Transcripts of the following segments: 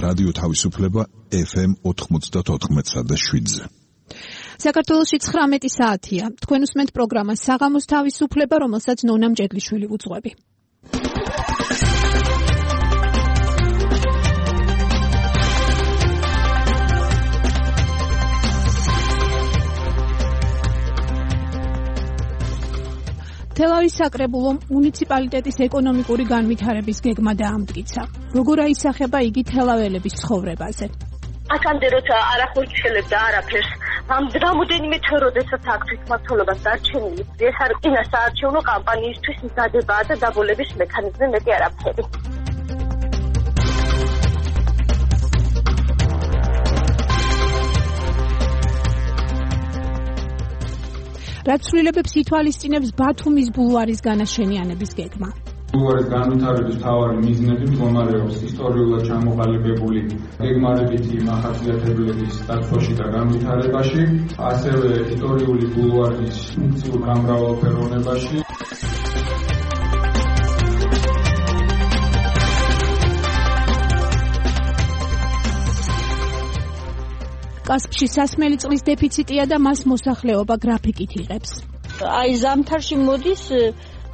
რადიო თავისუფლება FM 94.7-ზე. საქართველოში 19 საათია. თქვენ უსმენთ პროგრამას საღამოს თავისუფლება, რომელსაც ნონა მჭედლიშვილი უძღვები. თელავის საკრებულო მუნიციპალიტეტის ეკონომიკური განვითარების გეგმა დაამტკიცა. როგორ აისახება იგი თელაველების ცხოვრებაზე? აქამდე როცა არ ახორციელებდა არაფერს, რამოდენიმე თვე როდესაც აქ თვითმმართველობას დარჩენილი, ეს არის წინა საარჩევნო კამპანიისთვის მზადებაა და დაბოლების მექანიზმი, მეტი არაფერი. რაც ცვლილებებს ითვალისწინებს ბათუმის ბულვარის განაშენიანების გეგმა? ბულვარის განვითარების მთავარი მიზნები მდგომარეობს ისტორიულად ჩამოყალიბებული გეგმარებითი მახასიათებლების დაცვაში და განვითარებაში, ასევე ისტორიული ბულვარის ფუნქციურ გამრავალფეროვნებაში. კასპში სასმელი წყლის დეფიციტია და მას მოსახლეობა გრაფიკით იღებს. აი ზამთარში მოდის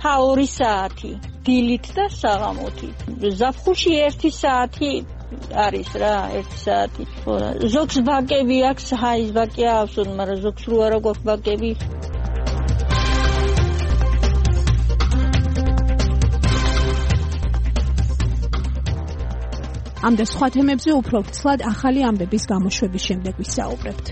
2 საათი დილით და საღამოთი. ზაფხულში 1 საათი არის რა, 1 საათი. ზოგს ბაკები აქვს, ჰაის ბაკი აქვს, მაგრამ ზოგს რო არა გვაქვს ბაკები. ამ და სხვა თემებზე უფრო ვრცლად ახალი ამბების გამოშვების შემდეგ ვისაუბრებთ.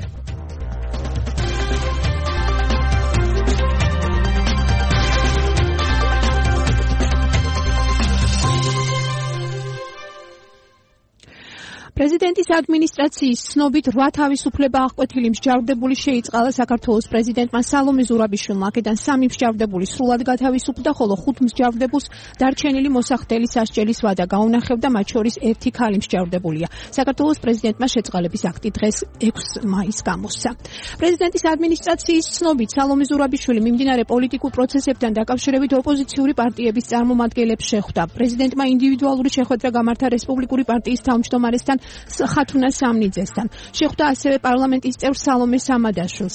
პრეზიდენტის ადმინისტრაციის ცნობით 8 თავისუფლება აღკვეთილი მსჯავრდებული შეიწყალა საქართველოს პრეზიდენტმა სალომე ზურაბიშვილმა. აქედან 3 მსჯავრდებული სრულად გათავისუფლდა, ხოლო 5 მსჯავრდებულს დარჩენილი მოსახდელი სასჯელის ვადა გაუნახებდა, მათ შორის 1 ქალი მსჯავრდებულია. საქართველოს პრეზიდენტმა შეწყალების აქტი დღეს 6 მაისს გამოსცა. პრეზიდენტის ადმინისტრაციის ცნობით სალომე ზურაბიშვილი მიმდინარე პოლიტიკურ პროცესებთან დაკავშირებით ოპოზიციური პარტიების წარმომადგენლებს შეხვდა. პრეზიდენტმა ინდივიდუალური შეხვედრა გამართა რესპუბლიკური პარტიის თავმჯდომარესთან ხათუნა სამნიძესთან. შეხვდა ასევე პარლამენტის წევრ სალომე სამადაშვილს.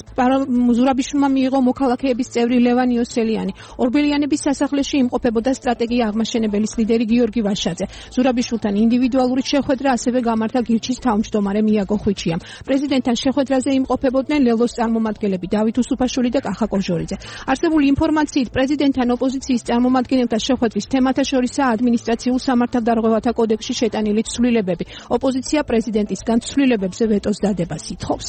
ზურაბიშვილმა მიიღო მოქალაქეების წევრი ლევან იოსელიანი. ორბელიანების სასახლეში იმყოფებოდა სტრატეგია აღმაშენებელის ლიდერი გიორგი ვაშაძე. ზურაბიშვილთან ინდივიდუალური შეხვედრა ასევე გამართა გირჩის თავმჯდომარე მიაგო ხვიჩიამ. პრეზიდენტთან შეხვედრაზე იმყოფებოდნენ ლელოს წარმომადგენლები დავით უსუფაშვილი და კახა კოჟორიძე. არსებული ინფორმაციით პრეზიდენტთან ოპოზიციის წარმომადგენელთა შეხვედრის თემათა შორისაა ადმინისტრაციულ სამართალდარღვევათა კოდექსში შეტანილი ცვლილებები. ოპოზიცია პრეზიდენტისგან ცვლილებებზე ვეტოს დადებას ითხოვს.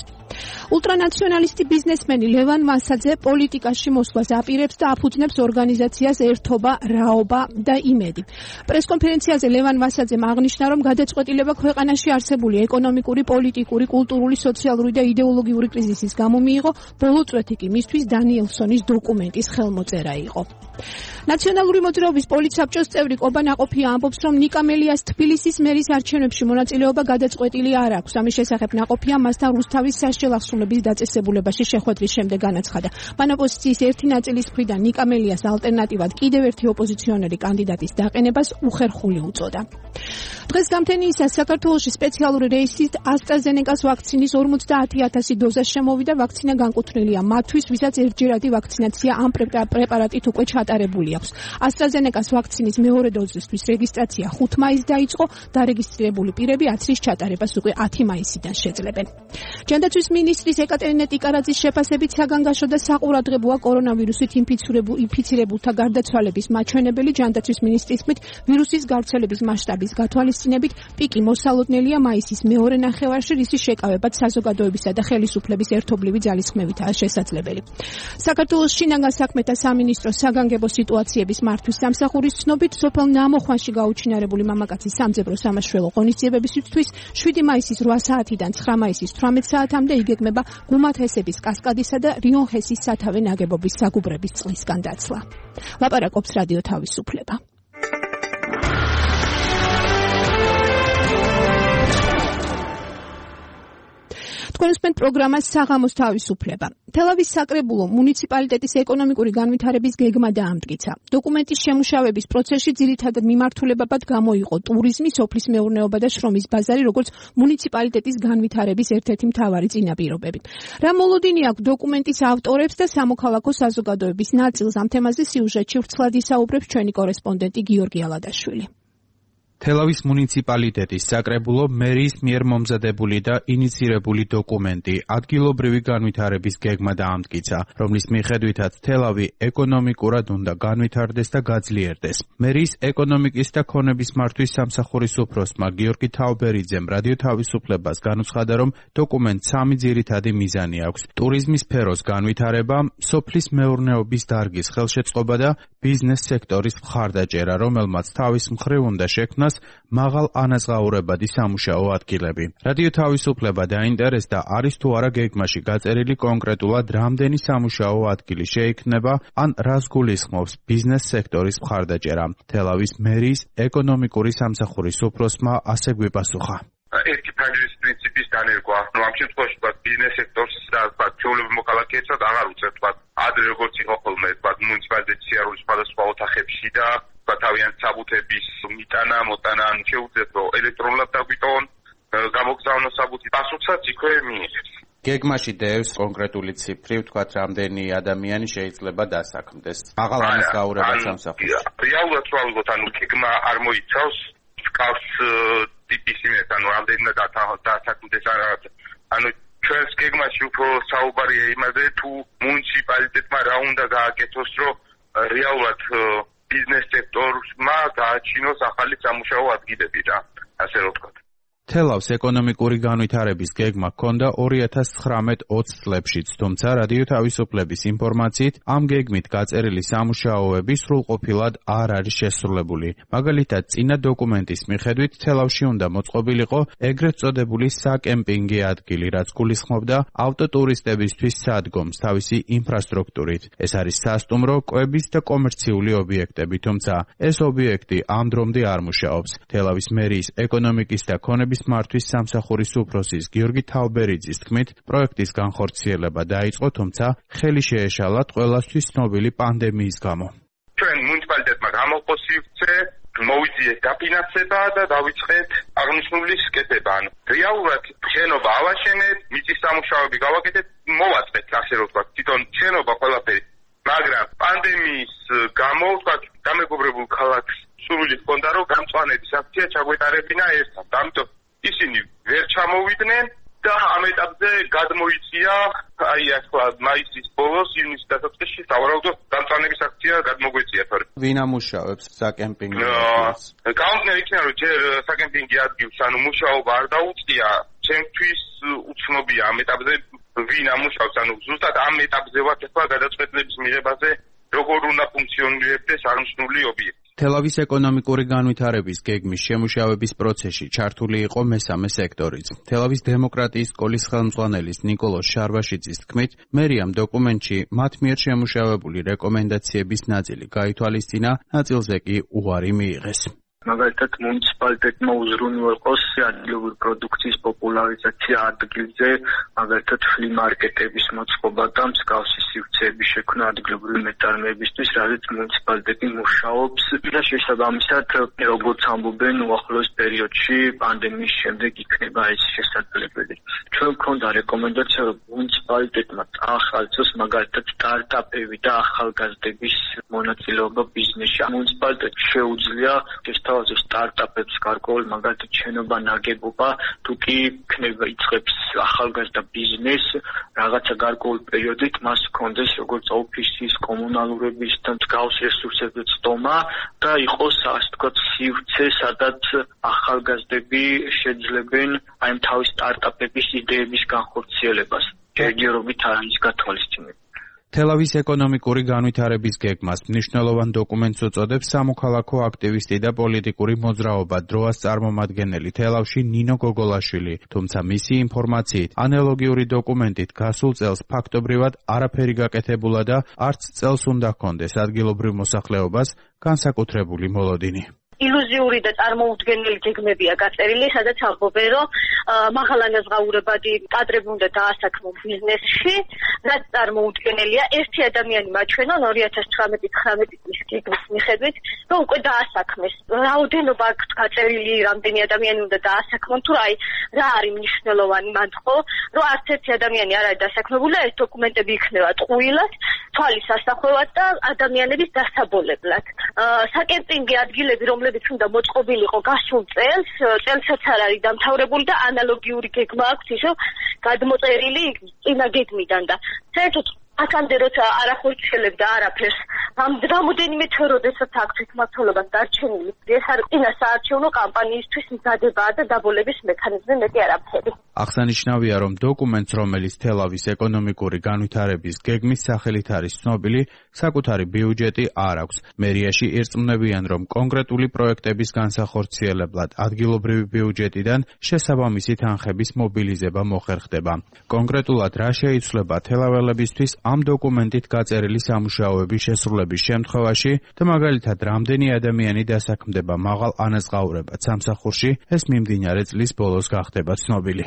ულტრანაციონალისტი ბიზნესმენი ლევან ვასაძე პოლიტიკაში მოსვლას აპირებს და აფუძნებს ორგანიზაციას ერთობა, რაობა და იმედი. პრესკონფერენციაზე ლევან ვასაძემ აღნიშნა, რომ გადაწყვეტილება ქვეყანაში არსებული ეკონომიკური, პოლიტიკური, კულტურული, სოციალური და იდეოლოგიური კრიზისის გამო მიიღო, ბოლო წვეთი კი მისთვის დანიელსონის დოკუმენტის ხელმოწერა იყო. ნაციონალური მოძრაობის პოლიტსაბჭოს წევრი კობა ნაყოფია ამბობს, რომ ნიკა მელიას თბილისის მერის არჩევნებში მონაწილეობა გადაწყვეტილი არ აქვს. ამის შესახებ ნაყოფია მასთან რუსთავის სასჯელ აღსრულების დაწესებულებაში შეხვედრის შემდეგ განაცხადა. მან ოპოზიციის ერთი ნაწილის მხრიდან ნიკა მელიას ალტერნატივად კიდევ ერთი ოპოზიციონერი კანდიდატის დაყენებას უხერხული უწოდა. დღეს გამთენიისას საქართველოში სპეციალური რეისით AstraZeneca-ს ვაქცინის 50,000 დოზა შემოვიდა. ვაქცინა განკუთვნილია მათთვის, ვისაც ერთჯერადი ვაქცინაცია ამ პრეპარატით უკვე ჩატარებული აქვს. AstraZeneca-ს ვაქცინის მეორე დოზისთვის რეგისტრაცია 5 მაისს დაიწყო, დარეგისტრირებული პირები აცრის ჩატარებას უკვე 10 მაისიდან შეძლებენ. ჯანდაცვის მინისტრის ეკატერინე ტიკარაძის შეფასებით საგანგაშო და საყურადღებოა კორონავირუსით ინფიცირებულთა გარდაცვალების მაჩვენებელი. ჯანდაცვის მინისტრის თქმით, ვირუსის გავრცელების მასშტაბის გათვალისწინებით პიკი მოსალოდნელია მაისის მეორე ნახევარში, რისი შეკავებაც საზოგადოებისა და ხელისუფლების ერთობლივი ძალისხმევითაა შესაძლებელი. საქართველოს შინაგან საქმეთა სამინისტროს საგანგებო სიტუაციების მართვის სამსახურის ცნობით, სოფელ ნამოხვანში გაუჩინარებული მამაკაცის სამძებრო სამაშველო ღონისძიებებისთვის 7 მაისის 8 საათიდან 9 მაისის 18 საათამდე იგეგმება გუმათესების კასკადისა და რიონჰესის სათავე ნაგებობის საგუბრების წყლისგან დაცლა. ლაპარაკობს რადიო თავისუფლება. თქვენ უსმენთ პროგრამას საღამოს თავისუფლება. თელავის საკრებულო მუნიციპალიტეტის ეკონომიკური განვითარების გეგმა დაამტკიცა. დოკუმენტის შემუშავების პროცესში ძირითადად მიმართულებად გამოიყო ტურიზმი, სოფლის მეურნეობა და შრომის ბაზარი, როგორც მუნიციპალიტეტის განვითარების ერთ-ერთი მთავარი წინაპირობები. რა მოლოდინი აქვს დოკუმენტის ავტორებს და სამოქალაქო საზოგადოების ნაწილს ამ თემაზე სიუჟეტში ვრცლად ისაუბრებს ჩვენი კორესპონდენტი გიორგი ალადაშვილი. თელავის მუნიციპალიტეტის საკრებულო მერის მიერ მომზადებული და ინიცირებული დოკუმენტი ადგილობრივი განვითარების გეგმა დაამტკიცა, რომლის მიხედვითაც თელავი ეკონომიკურად უნდა განვითარდეს და გაძლიერდეს. მერის ეკონომიკის და ქონების მართვის სამსახურის უფროსმა გიორგი თაუბერიძემ რადიო თავისუფლებას განუცხადა, რომ დოკუმენტს 3 ძირითადი მიზანი აქვს: ტურიზმის სფეროს განვითარება, სოფლის მეურნეობის დარგის ხელშეწყობა და ბიზნეს სექტორის მხარდაჭერა, რომელმაც თავის მხრივ უნდა შექმნას მაღალ ანაზღაურებადი სამუშაო ადგილები. რადიო თავისუფლება დაინტერესდა, არის თუ არა გეგმაში გაწერილი კონკრეტულად რამდენი სამუშაო ადგილი შეიქმნება, ან რას გულისხმობს ბიზნეს სექტორის მხარდაჭერა. თელავის მერის ეკონომიკური სამსახურის უფროსმა ასე გვიპასუხა. ერთი ფანჯრის პრინციპის დანერგვა. ამ შემთხვევაში ბიზნეს სექტორს და ჩვეულებრივ მოქალაქეებსაც აღარ უწევთ ადრე როგორც იყო ხოლმე მუნიციპალიტეტის სიარულის სხვადასხვა ოთახებში და თავიანთი საბუთების მიტანა, მოტანა, ან შეუძლიათ რომ ელექტრონულად დაგვიტონ, გამოგზავნო საბუთი, პასუხსაც იქვე მიიღებს. გეგმაში დევს კონკრეტული ციფრი, ვთქვათ, რამდენი ადამიანი შეიძლება დასაქმდეს. მაღალ ანაზღაურებად სამსახურში. რეალურად რა ვიღოთ, გეგმა არ მოიცავს კავს ტიპის იმას, რამდენად დასაქმდეს არა. ჩვენს გეგმაში უფრო საუბარია იმაზე, თუ მუნიციპალიტეტმა რა უნდა გააკეთოს, რომ რეალურად ბიზნეს სექტორმა გააჩინოს ახალი სამუშაო ადგილები და ასე რომ ვთქვათ. თელავს ეკონომიკური განვითარების გეგმა ჰქონდა 2019-20 წლებშიც, თუმცა რადიო თავისუფლების ინფორმაციით ამ გეგმით გაწერილი სამუშაოები სრულყოფილად არ არის შესრულებული. მაგალითად, წინა დოკუმენტის მიხედვით თელავში უნდა მოწყობილიყო ეგრეთ წოდებული საკემპინგი ადგილი, რაც გულისხმობდა ავტოტურისტებისთვის სადგომს თავისი ინფრასტრუქტურით. ეს არის სასტუმრო, კვების და კომერციული ობიექტები, თუმცა ეს ობიექტი ამ დრომდე არ მუშაობს. თელავის მერის ეკონომიკის და ქონების მართვის სამსახურის უფროსის გიორგი თაუბერიძის თქმით, პროექტის განხორციელება დაიწყო, თუმცა ხელი შეეშალა ყველასთვის ცნობილი პანდემიის გამო. ჩვენ მუნიციპალიტეტმა გამოყო სივრცე, მოვიძიეთ დაფინანსება და დავიწყეთ აღნიშნული სკეპება. რეალურად შენობა ავაშენეთ, მიწის სამუშაოები გავაკეთეთ, მოვაწყეთ, ასე რომ ვთქვათ, თვითონ შენობა ყველაფერი. მაგრამ პანდემიის გამო, ვთქვათ, დამეგობრებულ ქალაქს სურვილი ჰქონდა, რომ გამწვანების აქცია ჩაგვეტარებინა ერთად. ამიტომ ისინი ვერ ჩამოვიდნენ და ამ ეტაპზე გადმოიწია, მაისის ბოლოს, ივნისის დასაწყისში სავარაუდოდ გამწვანების აქცია გადმოგვეწია. ვინ ამუშავებს საკემპინგ ადგილს? გაუმგნელი იქნება, რომ ჯერ საკემპინგი ადგილს, მუშაობა არ დაუწყია, ჩემთვის უცნობია ამ ეტაპზე ვინ ამუშავებს, ზუსტად ამ ეტაპზე ვართ ახლა გადაწყვეტილების მიღებაზე, როგორ უნდა ფუნქციონირებდეს აღნიშნული ობიექტი. თელავის ეკონომიკური განვითარების გეგმის შემუშავების პროცესში ჩართული იყო მესამე სექტორიც. თელავის დემოკრატიის სკოლის ხელმძღვანელის ნიკოლოზ შარვაშიძის თქმით, მერიამ დოკუმენტში მათ მიერ შემუშავებული რეკომენდაციების ნაწილი გაითვალისწინა, ნაწილზე კი უარი მიიღეს. მაგალითად, მუნიციპალიტეტმა უზრუნო იყოს ადგილობრივი პროდუქციის პოპულარიზაცია ადგილზე, მაგალითად, ფლიმარკეტების მოწყობა და მსგავსი სივრცეების შექმნა ადგილობრივი მეტარმეებისთვის, რადგან მუნიციპალიტეტი მუშაობს და შესაბამისად, როგორც ამბობენ, უახლოეს პერიოდში პანდემიის შემდეგ იქნება ეს შესაძლებელი. ჩვენ გვქონდა რეკომენდაცია, რომ მუნიციპალიტეტმა წაახალწოს მაგალითად სტარტაპები და ახალგაზრდების მონაწილეობა ბიზნესში. მუნიციპალიტეტს შეუძლია სტარტაპებს გარკვეულ მაგალითად შენობა ნაგებობა თუ კი იქნება იწყებს ახალგაზრდა ბიზნეს რაღაცა გარკვეულ პერიოდით მას ჰქონდეს როგორც ოფისის კომუნალურების და მსგავს რესურსებზე ცდომა და იყოს ასე ვთქვათ სივრცე სადაც ახალგაზრდები შეძლებენ აი თავის სტარტაპების იდეების განხორციელებას ჯერჯერობით არ არის გათვალისწინებული. თელავის ეკონომიკური განვითარების გეგმას მნიშვნელოვან დოკუმენტს უწოდებს სამოქალაქო აქტივისტი და პოლიტიკური მოძრაობა დროას წარმომადგენელი თელავში ნინო გოგოლაშვილი, თუმცა მისი ინფორმაციით ანალოგიური დოკუმენტით გასულ წელს ფაქტობრივად არაფერი გაკეთებულა და არც წელს უნდა ჰქონდეს ადგილობრივ მოსახლეობას განსაკუთრებული მოლოდინი. ილუზიური და წარმოუდგენელი გეგმებია გაწერილი, სადაც ამბობენ, რომ მაღალანაზღაურებადი კადრები უნდა დაასაქმონ ბიზნესში, რაც წარმოუდგენელია. ერთი ადამიანი მაჩვენონ 2018-19 წლის გეგმის მიხედვით, რომ უკვე დაასაქმეს. რაოდენობა აქვს გაწერილი, რამდენი ადამიანი უნდა დაასაქმონ, თუ რა არის მნიშვნელოვანი მან ხო, რომ არც ერთი ადამიანი არ არის დასაქმებული, ეს დოკუმენტები იქნება ტყუილად, თვალის ასახვევად და ადამიანების დასაბოლებლად. საკემპინგი ადგილები, რომლებიც უნდა მოწყობილიყო გასულ წელსაც არ არის დამთავრებული და ანალოგიური გეგმა აქვს ისო გადმოწერილი წინა გეგმიდან და საერთოდ აქამდე როცა არ ახორციელებდა არაფერს, რამოდენიმე თვე როდესაც აქვს თვითმმართველობას დარჩენილი, ეს არის წინა საარჩევნო კამპანიისთვის მზადებაა და დაბოლების მექანიზმი, მეტი არაფერი. აღსანიშნავია, რომ დოკუმენტს, რომელიც თელავის ეკონომიკური განვითარების გეგმის სახელით არის ცნობილი, საკუთარი ბიუჯეტი არ აქვს. მერიაში ირწმუნებიან, რომ კონკრეტული პროექტების განსახორციელებლად ადგილობრივი ბიუჯეტიდან შესაბამისი თანხების მობილიზება მოხერხდება. კონკრეტულად რა შეიცვლება თელაველებისთვის ამ დოკუმენტით გაწერილი სამუშაოების შესრულების შემთხვევაში და მაგალითად რამდენი ადამიანი დასაქმდება მაღალ ანაზღაურებად სამსახურში, ეს მიმდინარე წლის ბოლოს გახდება ცნობილი.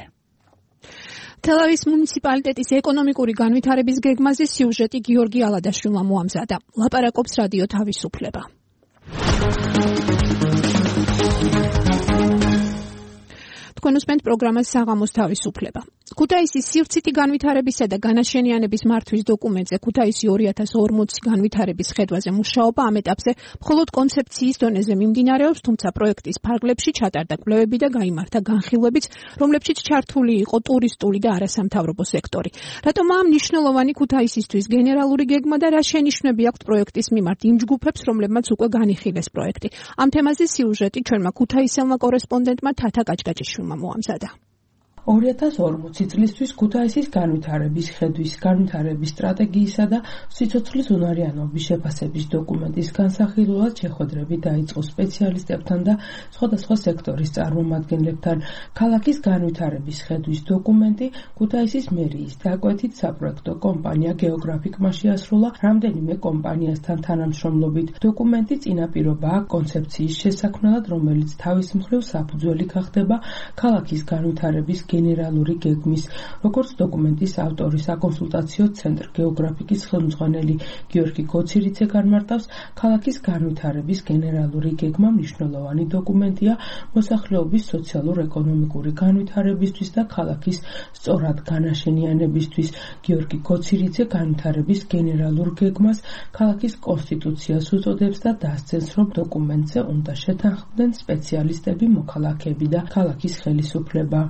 თელავის მუნიციპალიტეტის ეკონომიკური განვითარების გეგმაზე სიუჟეტი გიორგი ალადაშვილმა მოამზადა. ლაპარაკობს რადიო თავისუფლება. თქვენ უსმენთ პროგრამას საღამოს თავისუფლება. ქუთაისის სივრცითი განვითარებისა და განაშენიანების მართვის დოკუმენტზე ქუთაისი 2040 განვითარების ხედვაზე მუშაობა ამ ეტაპზე მხოლოდ კონცეფციის დონეზე მიმდინარეობს, თუმცა პროექტის ფარგლებში ჩატარდა კვლევები და გაიმართა განხილვებიც, რომლებშიც ჩართული იყო ტურისტული და არასამთავრობო სექტორი. რატომაა მნიშვნელოვანი ქუთაისისთვის გენერალური გეგმა და რა შენიშვნები აქვს პროექტის მიმართ იმ ჯგუფებს, რომლებმაც უკვე განიხილეს პროექტი. ამ თემაზე სიუჟეტი ჩვენმა ქუთაისელმა კორესპონდენტმა თათა კაჭკაჭიშვილმა მოამზადა. 2040 წლისთვის ქუთაისის განვითარების ხედვის განვითარების სტრატეგიისა და სიცოცხლის უნარიანობის შეფასების დოკუმენტის განსახილველად შეხვედრები დაიწყო სპეციალისტებთან და სხვადასხვა სექტორის წარმომადგენლებთან. ქალაქის განვითარების ხედვის დოკუმენტი ქუთაისის მერიის დაკვეთით საპროექტო კომპანია გეოგრაფიკმა შეასრულა რამდენიმე კომპანიასთან თანამშრომლობით. დოკუმენტი წინაპირობაა კონცეფციის შესაქმნელად, რომელიც თავის მხრივ საფუძველი გახდება ქალაქის განვითარების გენერალური გეგმის. როგორც დოკუმენტის ავტორი საკონსულტაციო ცენტრ გეოგრაფიკის ხელმძღვანელი გიორგი გოცირიძე განმარტავს, ქალაქის განვითარების გენერალური გეგმა მნიშვნელოვანი დოკუმენტია მოსახლეობის სოციალურ-ეკონომიკური განვითარებისთვის და ქალაქის სწორად განაშენიანებისთვის. გიორგი გოცირიძე განვითარების გენერალურ გეგმას ქალაქის კონსტიტუციას უწოდებს და დასცენს, რომ დოკუმენტზე უნდა შეთანხმდნენ სპეციალისტები, მოქალაქეები და ქალაქის ხელისუფლება.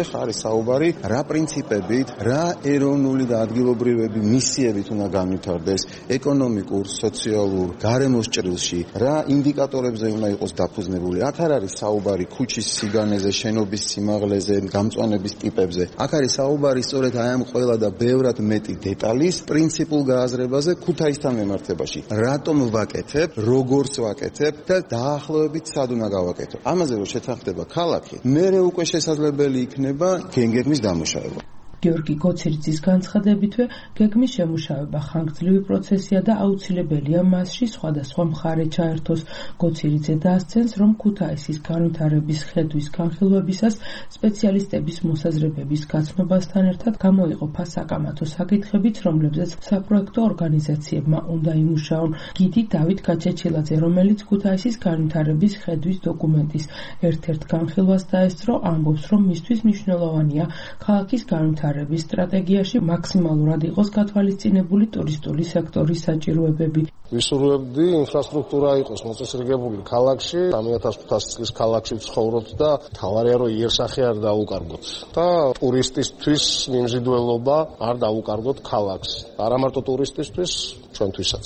ეხლა არის საუბარი რა პრინციპებით, რა ეროვნული და ადგილობრივები მისიებით უნდა განვითარდეს ეკონომიკურ, სოციალურ, გარემოს ჭრილში, რა ინდიკატორებზე უნდა იყოს დაფუძნებული. აქ არ არის საუბარი ქუჩის სიგანეზე, შენობის სიმაღლეზე, გამწვანების ტიპებზე. აქ არის საუბარი სწორედ აი ამ ყველა და ბევრად მეტი დეტალის პრინციპულ გააზრებაზე ქუთაისთან მიმართებაში. რატომ ვაკეთებ, როგორც ვაკეთებ და დაახლოებით სად უნდა გავაკეთო. ამაზე რომ შეთანხმდება ქალაქი, მერე უკვე შესაძლებელი იქნება გეგმის დამუშავება. გიორგი გოცირიძის განცხადებითვე გეგმის შემუშავება ხანგრძლივი პროცესია და აუცილებელია მასში სხვადასხვა მხარე ჩაერთოს. გოცირიძე დასცენს, რომ ქუთაისის განვითარების ხედვის განხილვებისას სპეციალისტების მოსაზრებების გაცნობასთან ერთად გამოიყოფა საკამათო საკითხებიც, რომლებზეც საპროექტო ორგანიზაციებმა უნდა იმუშაონ. გიდი დავით გაჩეჩილაძე, რომელიც ქუთაისის განვითარების ხედვის დოკუმენტის ერთ-ერთ განხილვას დაესწრო, ამბობს, რომ მისთვის მნიშვნელოვანია ქალაქის განვითარების სტრატეგიაში მაქსიმალურად იყოს გათვალისწინებული ტურისტული სექტორის საჭიროებები. ვისურვებდი ინფრასტრუქტურა იყოს მოწესრიგებული ქალაქში, 3500 წლის ქალაქში ვცხოვრობთ და თავარია რომ იერსახე არ დაუკარგოთ და ტურისტისთვის მიმზიდველობა არ დაუკარგოთ ქალაქს. არა მარტო ტურისტისთვის, ჩვენთვისაც.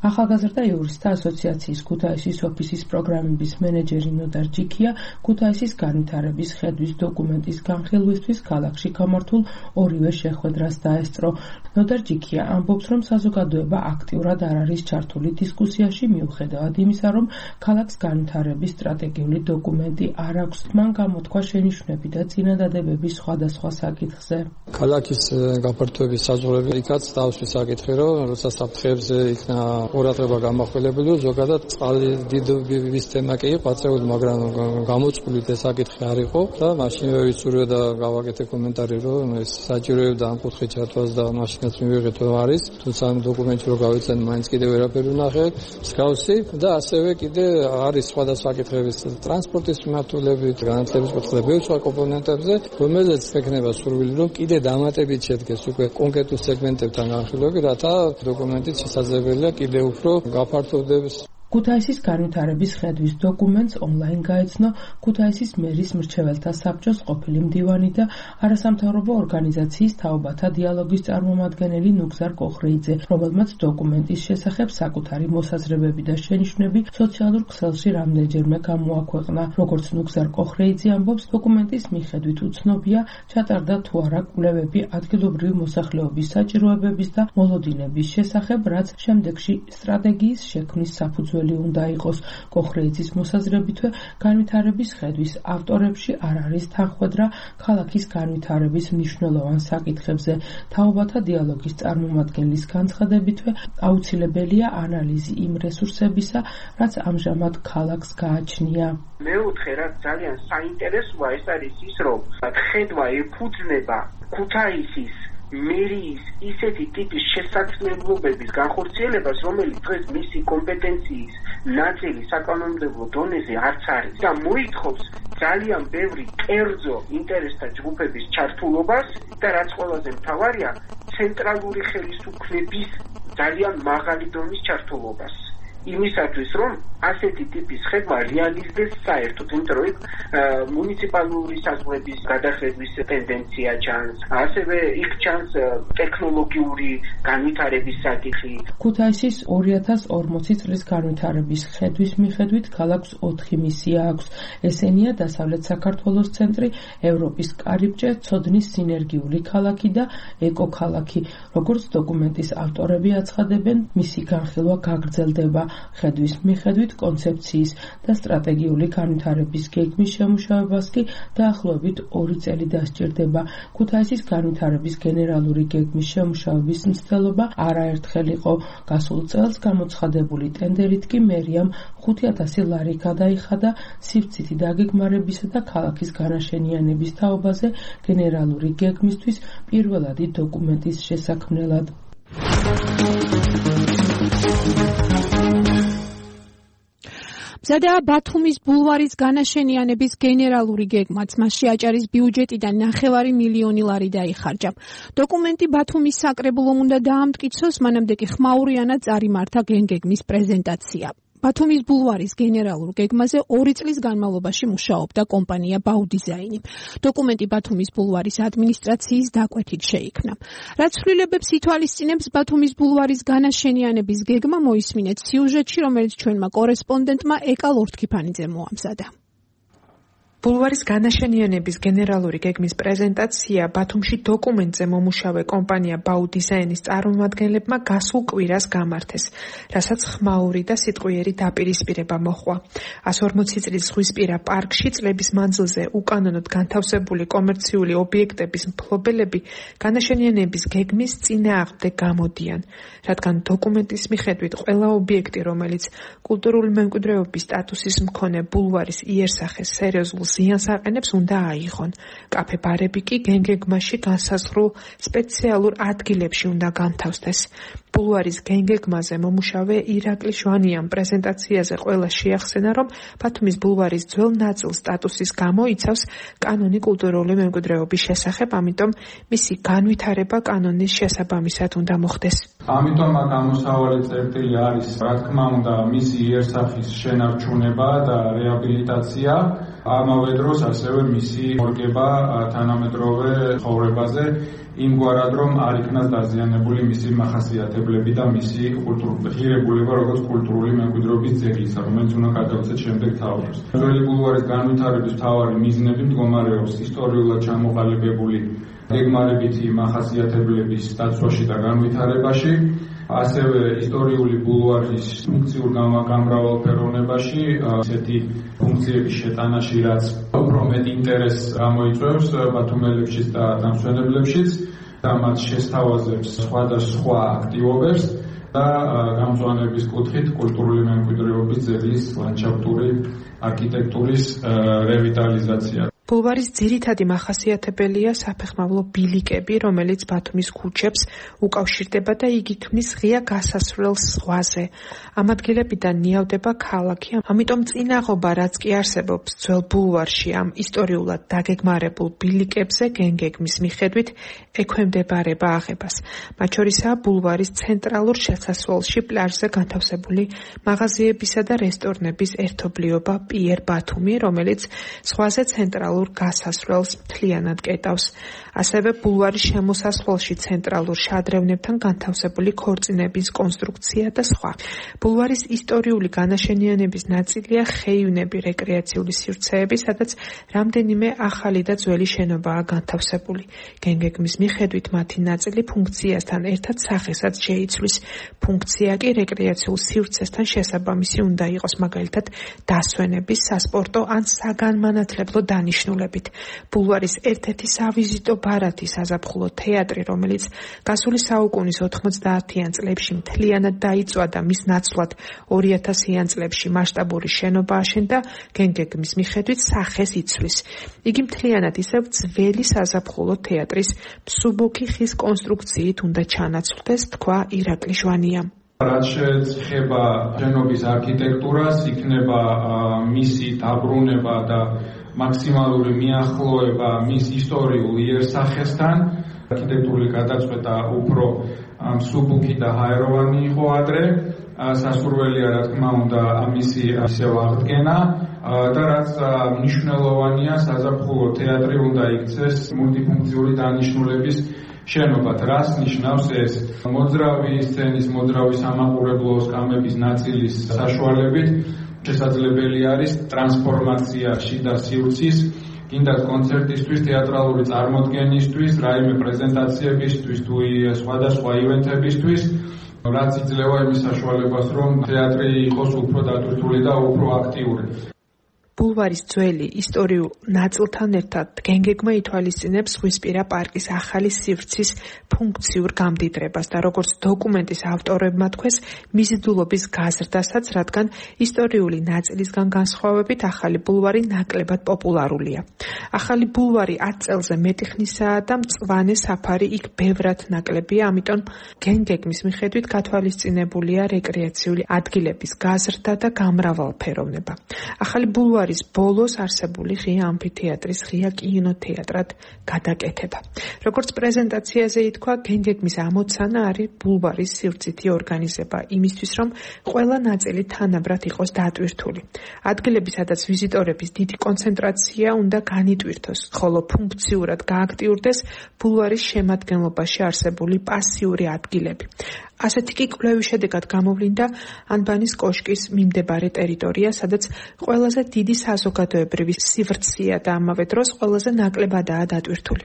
ახალგაზრდა იურისტთა ასოციაციის ქუთაისის ოფისის პროგრამების მენეჯერი ნოდარ ჯიქია ქუთაისის განვითარების ხედვის დოკუმენტის განხილვისთვის ქალაქში გამართულ ორივე შეხვედრას დაესწრო. ნოდარ ჯიქია ამბობს, რომ საზოგადოება აქტიურად არ არის ჩართული დისკუსიაში, მიუხედავად იმისა, რომ ქალაქს განვითარების სტრატეგიული დოკუმენტი არ აქვს. მან გამოთქვა შენიშვნები და წინადადებები სხვადასხვა საკითხზე. ქალაქის გაფართოების საზღვრები იქაც დავსვი საკითხი, რომ როცა საფრთხეებზე იქნა ყურადღება გამახვილებელი, ზოგადად წყალი დიდების თემა კი იყო აწეული, მაგრამ გამოწყვლით ეს საკითხი არ იყო და მაშინვე ვიცურვე და გავაკეთე კომენტარი, რომ ეს საჭიროებდა ამ კუთხით ჩართვას და მაშინაც მივიღეთ რომ არის, თუმცა ამ დოკუმენტში რო გავიცან, მაინც კიდევ ვერაფერი ვნახე, მსგავსი და ასევე კიდე არის სხვადასხვა საკითხების ტრანსპორტის მიმართულებით, განათლების კუთხეზე, ბევრ სხვა კომპონენტებზე, რომელზეც ექნება სურვილი, რომ კიდე დამატებით შედგეს უკვე კონკრეტულ სეგმენტებთან განხილვები, რათა დოკუმენტით შესაძლებელია კიდე უფრო გაფართოვდეს. ქუთაისის განვითარების ხედვის დოკუმენტს ონლაინ გაეცნო ქუთაისის მერის მრჩეველთა საბჭოს ყოფილი მდივანი და არასამთავრობო ორგანიზაციის თაობათა დიალოგის წარმომადგენელი ნუგზარ კოხრეიძე, რომელმაც დოკუმენტის შესახებ საკუთარი მოსაზრებები და შენიშვნები სოციალურ ქსელში რამდენჯერმე გამოაქვეყნა. როგორც ნუგზარ კოხრეიძე ამბობს, დოკუმენტის მიხედვით უცნობია ჩატარდა თუ არა კვლევები ადგილობრივი მოსახლეობის საჭიროებების და მოლოდინების შესახებ, რაც შემდეგში სტრატეგიის შექმნის საფუძველი უნდა იყოს. კოხრეიძის მოსაზრებითვე განვითარების ხედვის ავტორებში არ არის თანხმედრა ქალაქის განვითარების მნიშვნელოვან საკითხებზე. თაობათა დიალოგის წარმომადგენლის განცხადებითვე აუცილებელია ანალიზი იმ რესურსებისა, რაც ამჟამად ქალაქს გააჩნია. მეოთხე, რაც ძალიან საინტერესოა, ეს არის ის, რომ ხედვა ეფუძნება ქუთაისის მერიის ისეთი ტიპის შესაძლებლობების განხორციელებას, რომელიც დღეს მისი კომპეტენციის ნაწილი საკანონმდებლო დონეზე არც არის და მოითხოვს ძალიან ბევრი კერძო ინტერესთა ჯგუფების ჩართულობას და რაც ყველაზე მთავარია, ცენტრალური ხელისუფლების ძალიან მაღალი დონის ჩართულობას. იმისათვის, რომ ასეთი ტიპის ხედვა რეალიზდეს საერთოდ, იმიტომ რომ მუნიციპალური საზღვრების გადახედვის ტენდენცია ჩანს, ასევე იქ ჩანს ტექნოლოგიური განვითარების საკითხი. ქუთაისის 2040 წლის განვითარების ხედვის მიხედვით ქალაქს 4 მისია აქვს. ესენია დასავლეთ საქართველოს ცენტრი, ევროპის კარიბჭე, ცოდნის სინერგიული ქალაქი და ეკოქალაქი. როგორც დოკუმენტის ავტორები აცხადებენ, მისი განხილვა გაგრძელდება. ხედვის მიხედვით კონცეფციის და სტრატეგიული განვითარების გეგმის შემუშავებას კი დაახლოებით 2 წელი დასჭირდება. ქუთაისის განვითარების გენერალური გეგმის შემუშავების მცდელობა არაერთხელ იყო. გასულ წელს გამოცხადებული ტენდერით კი მერიამ 5,000 ლარი გადაიხადა სივრცითი დაგეგმარებისა და ქალაქის განაშენიანების თაობაზე გენერალური გეგმისთვის პირველადი დოკუმენტის შესაქმნელად. მზადაა ბათუმის ბულვარის განაშენიანების გენერალური გეგმაც, მასში აჭარის ბიუჯეტიდან 9 მილიონი ლარი დაიხარჯა. დოკუმენტი ბათუმის საკრებულომ უნდა დაამტკიცოს, მანამდე კი ხმაურიანად წარიმართა გეგმის პრეზენტაცია. ბათუმის ბულვარის გენერალურ გეგმაზე 2 წლის განმავლობაში მუშაობდა კომპანია ბაუდიზაინი. დოკუმენტი ბათუმის ბულვარის ადმინისტრაციის დაკვეთით შეიქმნა. რაც ცვლილებებს ითვალისწინებს ბათუმის ბულვარის განაშენიანების გეგმა, მოისმინეთ სიუჟეტში, რომელიც ჩვენმა კორესპონდენტმა ეკა ლორთქიფანიძემ მოამზადა. ბულვარის განაშენიანების გენერალური გეგმის პრეზენტაცია ბათუმში დოკუმენტზე მომუშავე კომპანია ბაუდიზაინის წარმომადგენლებმა გასულ კვირას გამართეს, რასაც ხმაური და სიტყვიერი დაპირისპირება მოჰყვა. 140 წლის ზღვისპირა პარკში წლების მანძილზე უკანონოდ განთავსებული კომერციული ობიექტების მფლობელები განაშენიანების გეგმის წინააღმდეგ გამოდიან, რადგან დოკუმენტის მიხედვით ყველა ობიექტი, რომელიც კულტურული მემკვიდრეობის სტატუსის მქონე ბულვარის იერსახეს სერიოზულ ზიანს აყენებს, უნდა აიღონ. კაფე-ბარები კი გეგმაში განსაზღვრულ სპეციალურ ადგილებში უნდა განთავსდეს. ბულვარის გეგმაზე მომუშავე ირაკლი შვანიამ პრეზენტაციაზე ყველა შეახსენა, რომ ბათუმის ბულვარის ძველ ნაწილ სტატუსის გამო იცავს კანონი კულტურული მემკვიდრეობის შესახებ, ამიტომ მისი განვითარება კანონის შესაბამისად უნდა მოხდეს. ამიტომ აქ ამოსავალი წერტილი არის, რა თქმა უნდა, მისი იერსახის შენარჩუნება და რეაბილიტაცია, ამავე დროს ასევე მისი მორგება თანამედროვე ცხოვრებაზე, იმგვარად, რომ არ იქნას დაზიანებული მისი მახასიათებლები და მისი ღირებულება, როგორც კულტურული მემკვიდრეობის ძეგლისა, რომელიც უნდა გადავცეთ შემდეგ თაობებს. ძველი ბულვარის განვითარების მთავარი მიზნები მდგომარეობს ისტორიულად ჩამოყალიბებული გეგმარებითი მახასიათებლების დაცვაში და განვითარებაში, ასევე ისტორიული ბულვარის ფუნქციურ გამრავალფეროვნებაში, ესეთი ფუნქციების შეტანაში, რაც უფრო მეტ ინტერესს გამოიწვევს ბათუმელებშიც და დამსვენებლებშიც და მათ შესთავაზებს სხვადასხვა აქტივობებს და გამწვანების კუთხით კულტურული მემკვიდრეობის ძეგლის ლანდშაფტური არქიტექტურის რევიტალიზაცია. ბულვარის ძირითადი მახასიათებელია საფეხმავლო ბილიკები, რომელიც ბათუმის ქუჩებს უკავშირდება და იგი ქმნის ღია გასასვლელს ზღვაზე. ამ ადგილებიდან ნიავდება ქალაქი, ამიტომ წინაღობა, რაც კი არსებობს ძველ ბულვარში ამ ისტორიულად დაგეგმარებულ ბილიკებზე, გენგეგმის მიხედვით ექვემდებარება აღებას. მათ შორისაა ბულვარის ცენტრალურ შესასვლელში პლაჟზე განთავსებული მაღაზიებისა და რესტორნების ერთობლიობა პიერ ბათუმი, რომელიც ზღვაზე ცენტრალურ გასასვლელს მთლიანად კეტავს. ასევე ბულვარის შემოსასვლელში ცენტრალურ შადრევნებთან განთავსებული ქორწინების კონსტრუქცია და სხვა. ბულვარის ისტორიული განაშენიანების ნაწილია ხეივნები, რეკრეაციული სივრცეები, სადაც რამდენიმე ახალი და ძველი შენობაა განთავსებული. გენგეგმის მიხედვით მათი ნაწილი ფუნქციასთან ერთად სახესაც შეიცვლის. ფუნქცია კი რეკრეაციულ სივრცესთან შესაბამისი უნდა იყოს, მაგალითად დასვენების, სასპორტო ან საგანმანათლებლო დანიშნულებით. ბულვარის ერთ-ერთი სავიზიტო ბარათი საზაფხულო თეატრი, რომელიც გასული საუკუნის 90-იან წლებში მთლიანად დაიწვა და მის ნაცვლად 2000-იან წლებში მასშტაბური შენობა აშენდა, გენგეგმის მიხედვით სახეს იცვლის. იგი მთლიანად ისევ ძველი საზაფხულო თეატრის მსუბუქი ხის კონსტრუქციით უნდა ჩანაცვლდეს, თქვა ირაკლი ჟვანიამ. რაც შეეხება შენობის არქიტექტურას, იქნება მისი დაბრუნება და მაქსიმალური მიახლოება მის ისტორიულ იერსახესთან. არქიტექტურული გადაწყვეტა უფრო მსუბუქი და ჰაეროვანი იყო ადრე. სასურველია, რა თქმა უნდა, მისი ისევ აღდგენა და რაც მნიშვნელოვანია, საზაფხულო თეატრი უნდა იქცეს მულტიფუნქციური დანიშნულების შენობად. რას ნიშნავს ეს? მოძრავი სცენის, მოძრავი სამაყურებლო სკამების ნაწილის საშუალებით შესაძლებელი არის ტრანსფორმაცია შიდა სივრცის, კიდაც კონცერტისთვის, თეატრალური წარმოდგენისთვის, რაიმე პრეზენტაციებისთვის თუ სხვადასხვა ივენთებისთვის, რაც იძლევა იმის საშუალებას, რომ თეატრი იყოს უფრო დატვირთული და უფრო აქტიური. ბულვარის ძველი ისტორიულ ნაწილთან ერთად გენგეგმა ითვალისწინებს ზღვისპირა პარკის ახალი სივრცის ფუნქციურ გამდიდრებას და როგორც დოკუმენტის ავტორებმა თქვეს, მიზიდულობის გაზრდასაც, რადგან ისტორიული ნაწილისგან განსხვავებით ახალი ბულვარი ნაკლებად პოპულარულია. ახალი ბულვარი 10 წელზე მეტი ხნისაა და მწვანე საფარი იქ ბევრად ნაკლებია, ამიტომ გენგეგმის მიხედვით გათვალისწინებულია რეკრეაციული ადგილების გაზრდა და გამრავალფეროვნება. ახალი ბულვარი ბოლოს არსებული ღია ამფითეატრის ღია კინოთეატრად გადაკეთება. როგორც პრეზენტაციაზე ითქვა, გენგეგმის ამოცანა არის ბულვარის სივრცითი ორგანიზება იმისთვის, რომ ყველა ნაწილი თანაბრად იყოს დატვირთული. ადგილები, სადაც ვიზიტორების დიდი კონცენტრაცია უნდა განიტვირთოს, ხოლო ფუნქციურად გააქტიურდეს ბულვარის შემადგენლობაში არსებული პასიური ადგილები. ასეთი კი კვლევის შედეგად გამოვლინდა ანბანის კოშკის მიმდებარე ტერიტორია, სადაც ყველაზე დიდი საზოგადოებრივი სივრცეა და ამავე დროს ყველაზე ნაკლებადაა დატვირთული.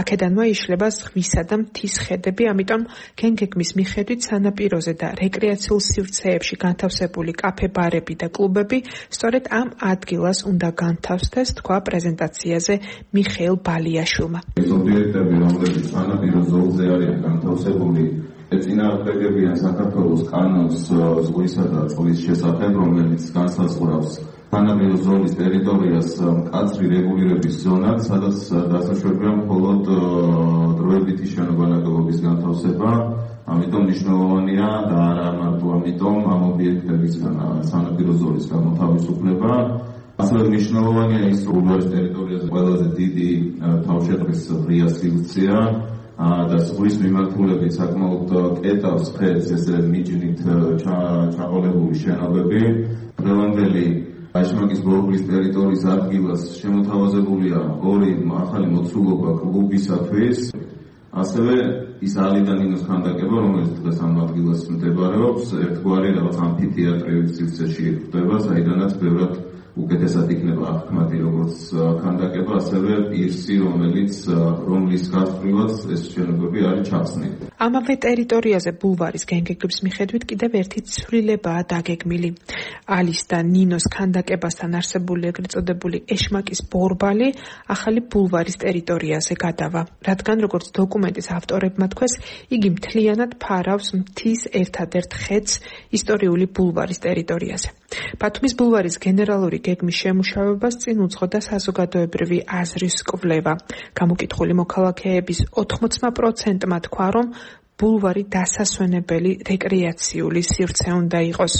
აქედანვე იშლება ზღვისა და მთის ხედები, ამიტომ გენგეგმის მიხედვით სანაპიროზე და რეკრეაციულ სივრცეებში განთავსებული კაფე-ბარები და კლუბები სწორედ ამ ადგილას უნდა განთავსდეს, თქვა პრეზენტაციაზე მიხეილ ბალიაშვილმა. ეს ობიექტები, რომლებიც სანაპირო ზოლზე არიან განთავსებული, ეწინააღმდეგებიან საქართველოს კანონს ზღვისა და წყლის შესახებ, რომელიც განსაზღვრავს სანაპირო ზოლის ტერიტორიას მკაცრი რეგულირების ზონად, სადაც დასაშვებია მხოლოდ დროებითი შენობანაკებობის განთავსება. ამიტომ მნიშვნელოვანია და არა მარტო ამიტომ ამ ობიექტებისგან სანაპირო ზოლის გამოთავისუფლება. ასევე მნიშვნელოვანია ის, რომ ბულვარის ტერიტორიაზე ყველაზე დიდი თავშეყრის ღია სივრცეა და ზღვის მიმართულებით საკმაოდ კეტავს ხეს ესე მიჯნით ჩაყოლებული შენობები. დღევანდელი აშმაკის ბორბლის ტერიტორიის ადგილას შემოთავაზებულია 2 ახალი მოცულობა კლუბისათვის. ასევე ის ალიდანინოს ქანდაკება, რომელიც დღეს ამ ადგილას მდებარეობს, ერთგვარი რაღაც ამფითეატრის სივრცეში ხდება, საიდანაც ბევრად უკეთესად იქნება აღქმადი როგორც ქანდაკება, ასევე პირსი, რომლის გასწვრივაც ეს შენობები არის ჩახსნილი. ამავე ტერიტორიაზე ბულვარის განგეგმის მიხედვით კიდევ ერთი ცვლილებაა დაგეგმილი. ალის და ნინოს ქანდაკებასთან არსებული ეგრეთ წოდებული ეშმაკის ბორბალი ახალი ბულვარის ტერიტორიაზე გადავა, რადგან როგორც დოკუმენტის ავტორებმა თქვეს, იგი მთლიანად ფარავს მთის ერთადერთ ხედს ისტორიული ბულვარის ტერიტორიაზე. ბათუმის ბულვარის გენერალური გეგმის შემუშავებას წინ უძღოდა საზოგადოებრივი აზრის კვლევა. გამოკითხული მოქალაქეების 80%-მა თქვა, რომ ბულვარი დასასვენებელი რეკრეაციული სივრცე უნდა იყოს.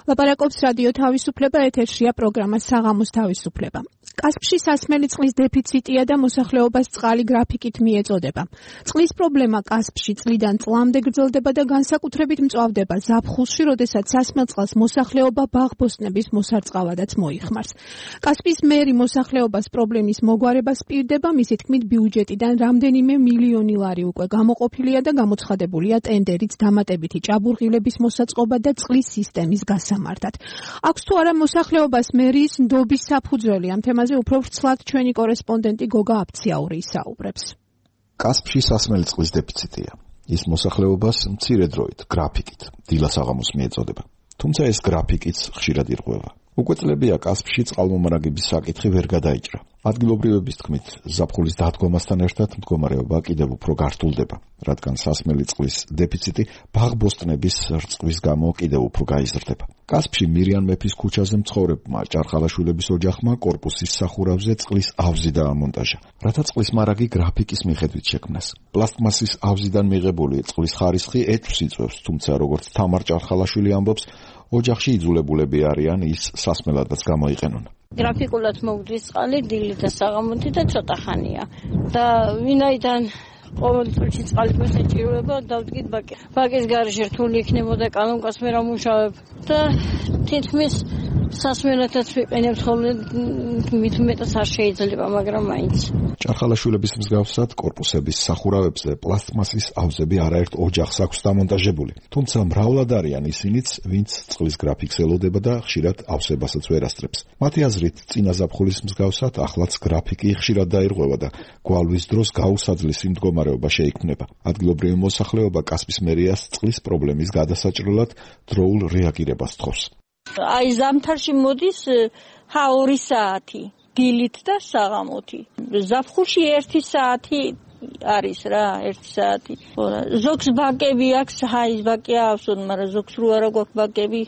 ლაპარაკობს რადიო თავისუფლება, ეთერშია პროგრამა საღამოს თავისუფლება. კასპში სასმელი წყლის დეფიციტია და მოსახლეობას წყალი გრაფიკით მიეწოდება. წყლის პრობლემა კასპში წლიდან წლამდე გრძელდება და განსაკუთრებით მწვავდება ზაფხულში, როდესაც სასმელ წყალს მოსახლეობა ბაღბოსტნების მოსარწყავადაც მოიხმარს. კასპის მერი მოსახლეობას პრობლემის მოგვარებას პირდება, მისი თქმით ბიუჯეტიდან რამდენიმე მილიონი ლარი უკვე გამოყოფილია და გამოცხადებულია ტენდერიც დამატებითი ჭაბურღილების მოსაწყობა და წყლის სისტემის გასამართად. აქვს თუ არა მოსახლეობას მერის ნდობის საფუძველი? ამ თემაზე უფრო ვრცლად ჩვენი კორესპონდენტი გოგა აფციაური ისაუბრებს. კასპში სასმელი წყლის დეფიციტია. ის მოსახლეობას მცირე დროით, გრაფიკით, დილას აღამოს მიეწოდება. თუმცა ეს გრაფიკიც ხშირად ირღვევა. უკვე წლებია კასპში წყალმომარაგების საკითხი ვერ გადაიჭრა. ადგილობრივების თქმით, ზაფხულის დადგომასთან ერთად მდგომარეობა კიდევ უფრო გართულდება, რადგან სასმელი წყლის დეფიციტი ბაღბოსტნების რწყვის გამო კიდევ უფრო გაიზრდება. კასპში მირიან მეფის ქუჩაზე მცხოვრებმა ჭარხალაშვილების ოჯახმა კორპუსის სახურავზე წყლის ავზი დაამონტაჟა, რათა წყლის მარაგი გრაფიკის მიხედვით შექმნას. პლასტმასის ავზიდან მიღებული წყლის ხარისხი ეჭვს იწვევს, თუმცა როგორც თამარ ჭარხალაშვილი ამბობს, ოჯახში იძულებულები არიან ის სასმელადაც გამოიყენონ. გრაფიკულად მოვდის წყალი დილით და საღამოთი და ცოტა ხანია. და ვინაიდან ყოველ წუთში წყალით მოსაჭიროება დავდგით ბაკი. ბაკის გარეშე რთული იქნებოდა კანონკას მე რა მუშავებ და თითქმის სასმელადაც ვიყენებ, ხოლმე მით უმეტეს არ შეიძლება, მაგრამ მაინც. ჭარხალაშვილების მსგავსად კორპუსების სახურავებზე პლასტმასის ავზები არაერთ ოჯახს აქვს დამონტაჟებული, თუმცა მრავლად არიან ისინიც, ვინც წყლის გრაფიკს ელოდება და ხშირად ავსებასაც ვერ ასწრებს. მათი აზრით, წინა ზაფხულის მსგავსად ახლაც გრაფიკი ხშირად დაირღვევა და გვალვის დროს გაუსაძლისი მდგომარეობა შეიქმნება. ადგილობრივი მოსახლეობა კასპის მერიას წყლის პრობლემის გადასაჭრელად დროულ რეაგირებას თხოვს. აი ზამთარში მოდის 2 საათი დილით და საღამოთი. ზაფხულში 1 საათი არის რა, 1 საათი. ზოგს ბაკები აქვს, აი ბაკი აქვს, მაგრამ ზოგს რო არა გვაქვს ბაკები.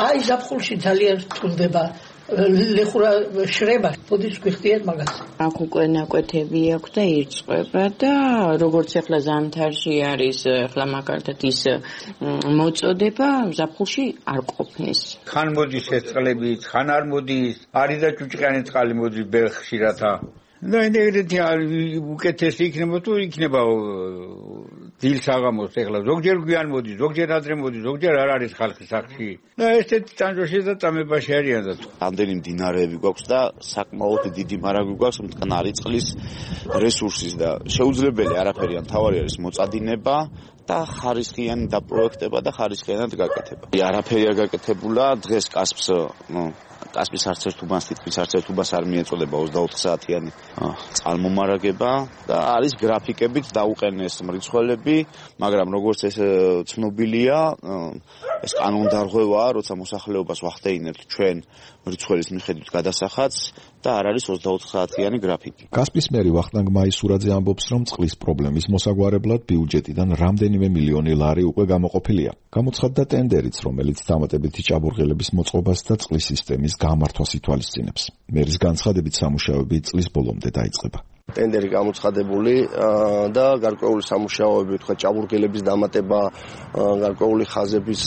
აი ზაფხულში ძალიან რთულდება ლეხურა შრება, ბოდის გვიხდიან მაგას. აქ უკვე ნაკვეთები აქვს და ირწყვება და როგორც ახლა ზამთარში არის, ახლა მაგალითად ის მოწოდება, ზაფხულში არ ყოფნის. ხან მოდის ეს წყლები, ხან არ მოდის, არის და ჭუჭყიანი წყალი მოდის ბერხშირათა. და ეგრეთი უკეთესი იქნება თუ იქნება დილ საღამოს ახლა ზოგჯერ გვიან მოდის, ზოგჯერ ადრე მოდის, ზოგჯერ არ არის ხალხი სახლში. და ესეთი ტანჯოში და წამებაში არიან და ამდენი მდინარეები გვაქვს და საკმაოდ დიდი მარაგი გვაქვს მტკნარი წყლის რესურსის და შეუძლებელი არაფერი არ თავარი არის მოწადინება და ხარისხიანი დაპროექტება და ხარისხიანად გაკეთება. არაფერი არ გაკეთებულა დღეს კასპის არც ერთ უბანს თითქმის არც ერთ უბანს არ მიეწოდება 24 საათიანი წყალმომარაგება და არის გრაფიკებით დაუყენეს მრიცხველები, მაგრამ როგორც ეს ცნობილია, ეს კანონდარღვევაა, როცა მოსახლეობას ვახდეინებთ ჩვენ მრიცხველის მიხედვით გადასახადს და არ არის 24 საათიანი გრაფიკი. კასპის მერი ვახტანგ მაისურაძე ამბობს, რომ წყლის პრობლემის მოსაგვარებლად ბიუჯეტიდან რამდენიმე მილიონი ლარი უკვე გამოყოფილია. გამოცხადდა ტენდერიც, რომელიც დამატებითი ჭაბურღილების მოწყობას და წყლის სისტემის გამართვას ითვალისწინებს. მერის განცხადებით სამუშაოები წლის ბოლომდე დაიწყება. ტენდერი გამოცხადებული და გარკვეული სამუშაოები, თქვა ჭაბურღილების დამატება, გარკვეული ხაზების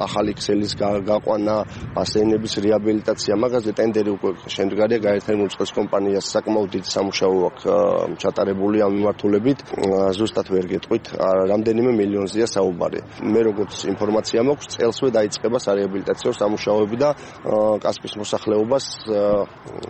ახალი ქსელის გაყვანა, ბასეინების რეაბილიტაცია, მაგაზე ტენდერი უკვე შემდგარია, გაერთიანებული მრიცხველის კომპანიას საკმაოდ დიდი სამუშაო აქვს ჩატარებული ამ მიმართულებით. ზუსტად ვერ გეტყვით, რამდენიმე მილიონზეა საუბარი. მე როგორც ინფორმაცია მაქვს, წელსვე დაიწყება სარეაბილიტაციო სამუშაოები და კასპის მოსახლეობას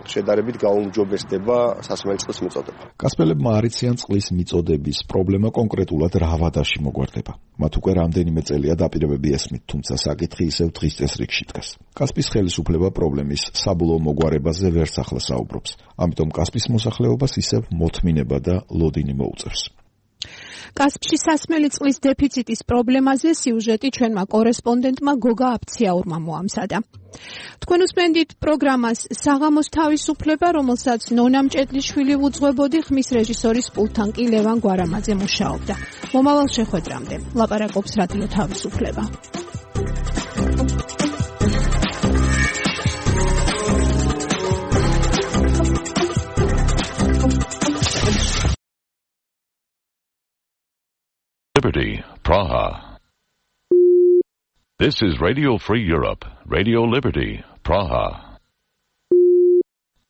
შედარებით გაუმჯობესდება სასმელი წყლის მიწოდება. კასპელებმა არ იციან წყლის მიწოდების პრობლემა კონკრეტულად რა ვადაში მოგვარდება. მათ უკვე რამდენიმე წელია დაპირებები ესმით, თუმცა საკითხი ისევ დღის წესრიგში დგას. კასპის ხელისუფლება პრობლემის საბოლოო მოგვარებაზე ვერც ახლა საუბრობს. ამიტომ კასპის მოსახლეობას ისევ მოთმინება და ლოდინი მოუწევს. კასპში სასმელი წყლის დეფიციტის პრობლემაზე სიუჟეტი ჩვენმა კორესპონდენტმა გოგა აფციაურმა მოამზადა. თქვენ უსმენთ პროგრამას საღამოს თავისუფლება, რომელსაც ნონა მჭედლიშვილი უძღვებოდი, ხმის რეჟისორის პულტთან კი ლევან გვარამაძე მუშაობდა. მომავალ შეხვედრამდე ლაპარაკობს რადიო თავისუფლება. Liberty, Praha. This is Radio Free Europe, Radio Liberty, Praha.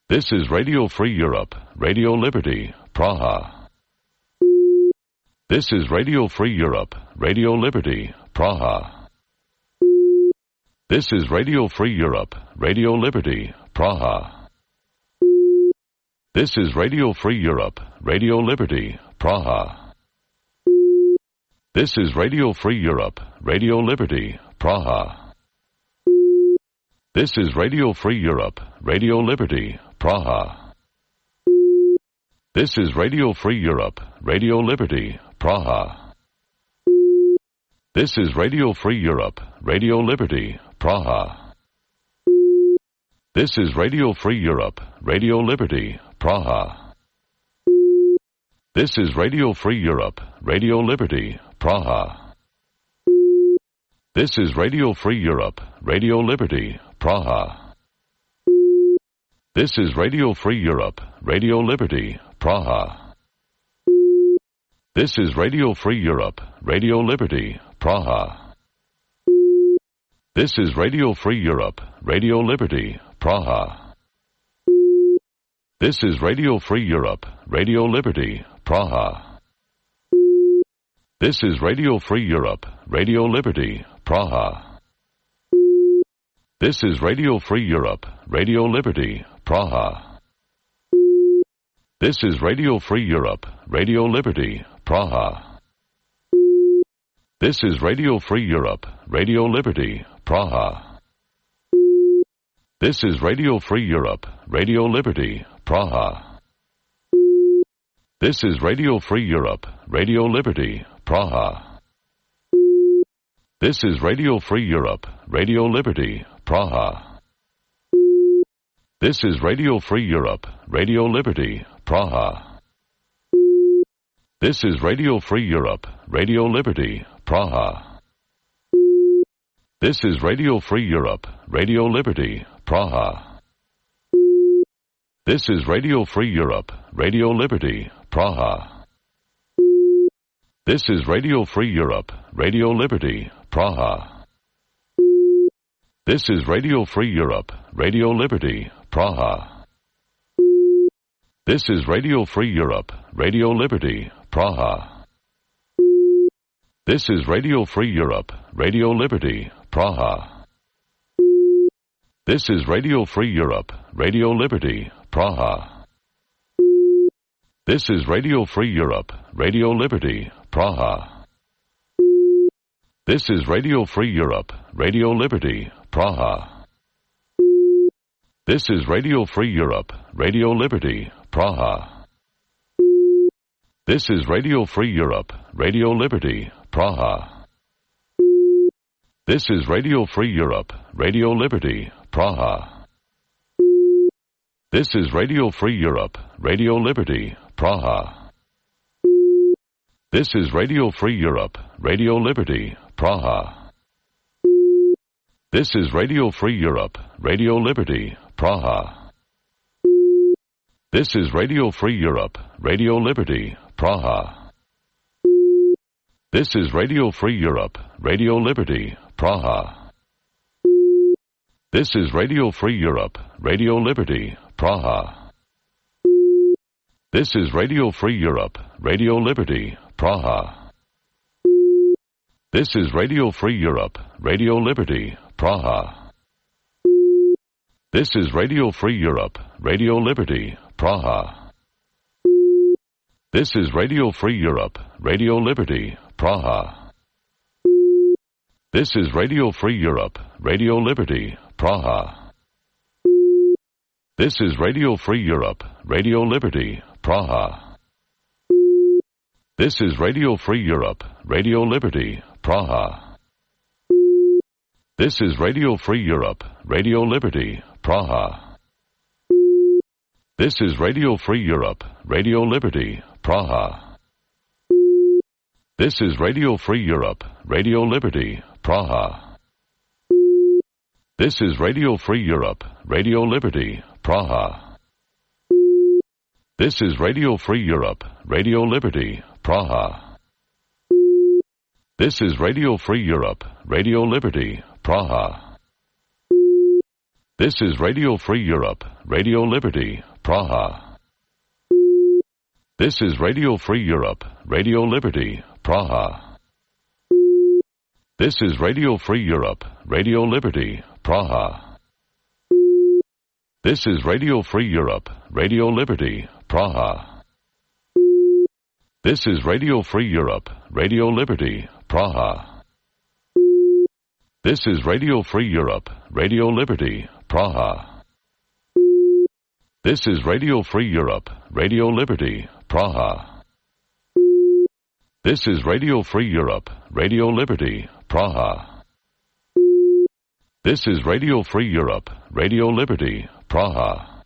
This is Radio Free Europe, Radio Liberty, Praha. This is Radio Free Europe, Radio Liberty, Praha. This is Radio Free Europe, Radio Liberty, Praha. This is Radio Free Europe, Radio Liberty, Praha. This is Radio Free Europe, Radio Liberty, Praha. This is Radio Free Europe, Radio Liberty, Praha. This is Radio Free Europe, Radio Liberty, Praha. This is Radio Free Europe, Radio Liberty, Praha. This is Radio Free Europe, Radio Liberty, Praha. This is Radio Free Europe, Radio Liberty, Praha. This is Radio Free Europe, Radio Liberty, Praha. This is Radio Free Europe, Radio Liberty, Praha. This is Radio Free Europe, Radio Liberty, Praha. This is Radio Free Europe, Radio Liberty, Praha. This is Radio Free Europe, Radio Liberty, Praha. This is Radio Free Europe, Radio Liberty, Praha. This is Radio Free Europe, Radio Liberty, Praha. This is Radio Free Europe, Radio Liberty, Praha. This is Radio Free Europe, Radio Liberty, Praha. This is Radio Free Europe, Radio Liberty, Praha. This is Radio Free Europe, Radio Liberty, Praha. This is Radio Free Europe, Radio Liberty, Praha. This is Radio Free Europe, Radio Liberty, Praha. This is Radio Free Europe, Radio Liberty, Praha. This is Radio Free Europe, Radio Liberty, Praha. This is Radio Free Europe, Radio Liberty, Praha. This is Radio Free Europe, Radio Liberty, Praha. This is Radio Free Europe, Radio Liberty, Praha. This is Radio Free Europe, Radio Liberty, Praha. This is Radio Free Europe, Radio Liberty, Praha. This is Radio Free Europe, Radio Liberty, Praha. This is Radio Free Europe, Radio Liberty, Praha. This is Radio Free Europe, Radio Liberty, Praha. This is Radio Free Europe, Radio Liberty, Praha. This is Radio Free Europe, Radio Liberty, Praha. This is Radio Free Europe, Radio Liberty, Praha. This is Radio Free Europe, Radio Liberty, Praha. This is Radio Free Europe, Radio Liberty, Praha. This is Radio Free Europe, Radio Liberty, Praha. This is Radio Free Europe, Radio Liberty, Praha. This is Radio Free Europe, Radio Liberty, Praha. This is Radio Free Europe, Radio Liberty, Praha. This is Radio Free Europe, Radio Liberty, Praha. This is Radio Free Europe, Radio Liberty, Praha. This is Radio Free Europe, Radio Liberty, Praha. This is Radio Free Europe, Radio Liberty, Praha. This is Radio Free Europe, Radio Liberty, Praha. This is Radio Free Europe, Radio Liberty, Praha. This is Radio Free Europe, Radio Liberty, Praha. This is Radio Free Europe, Radio Liberty, Praha. This is Radio Free Europe, Radio Liberty, Praha. This is Radio Free Europe, Radio Liberty, Praha. This is Radio Free Europe, Radio Liberty, Praha. This is Radio Free Europe, Radio Liberty, Praha. This is Radio Free Europe, Radio Liberty, Praha. This is Radio Free Europe, Radio Liberty, Praha. This is Radio Free Europe, Radio Liberty, Praha. This is Radio Free Europe, Radio Liberty, Praha. This is Radio Free Europe, Radio Liberty, Praha. This is Radio Free Europe, Radio Liberty, Praha. This is Radio Free Europe, Radio Liberty, Praha. This is Radio Free Europe, Radio Liberty, Praha. This is Radio Free Europe, Radio Liberty, Praha. This is Radio Free Europe, Radio Liberty, Praha.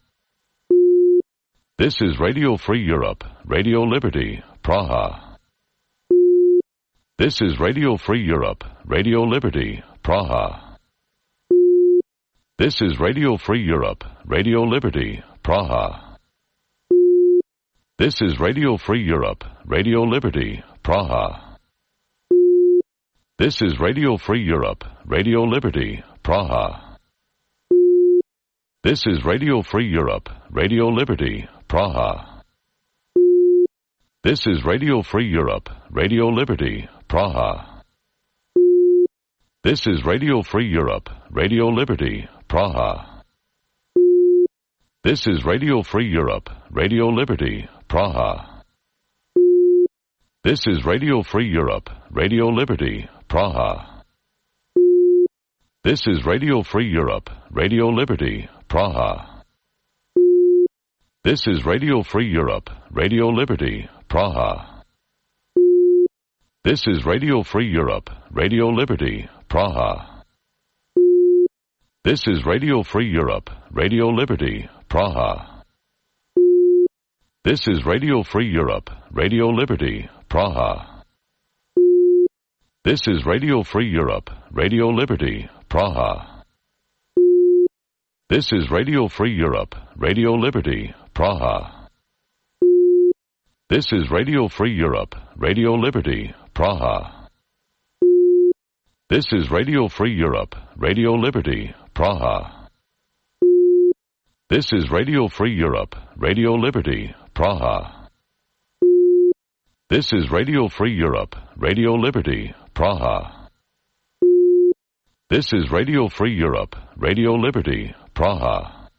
This is Radio Free Europe, Radio Liberty, Praha. This is Radio Free Europe, Radio Liberty, Praha. This is Radio Free Europe, Radio Liberty, Praha. This is Radio Free Europe, Radio Liberty, Praha. This is Radio Free Europe, Radio Liberty, Praha. This is Radio Free Europe, Radio Liberty, Praha. This is Radio Free Europe, Radio Liberty, Praha. This is Radio Free Europe, Radio Liberty, Praha. This is Radio Free Europe, Radio Liberty, Praha. This is Radio Free Europe, Radio Liberty, Praha. This is Radio Free Europe, Radio Liberty, Praha. This is Radio Free Europe, Radio Liberty, Praha. This is Radio Free Europe, Radio Liberty, Praha. This is Radio Free Europe, Radio Liberty, Praha. This is Radio Free Europe, Radio Liberty, Praha. This is Radio Free Europe, Radio Liberty, Praha. This is Radio Free Europe, Radio Liberty, Praha. This is Radio Free Europe, Radio Liberty, Praha. This is Radio Free Europe, Radio Liberty, Praha. This is Radio Free Europe, Radio Liberty, Praha. This is Radio Free Europe, Radio Liberty, Praha. This is Radio Free Europe, Radio Liberty, Praha.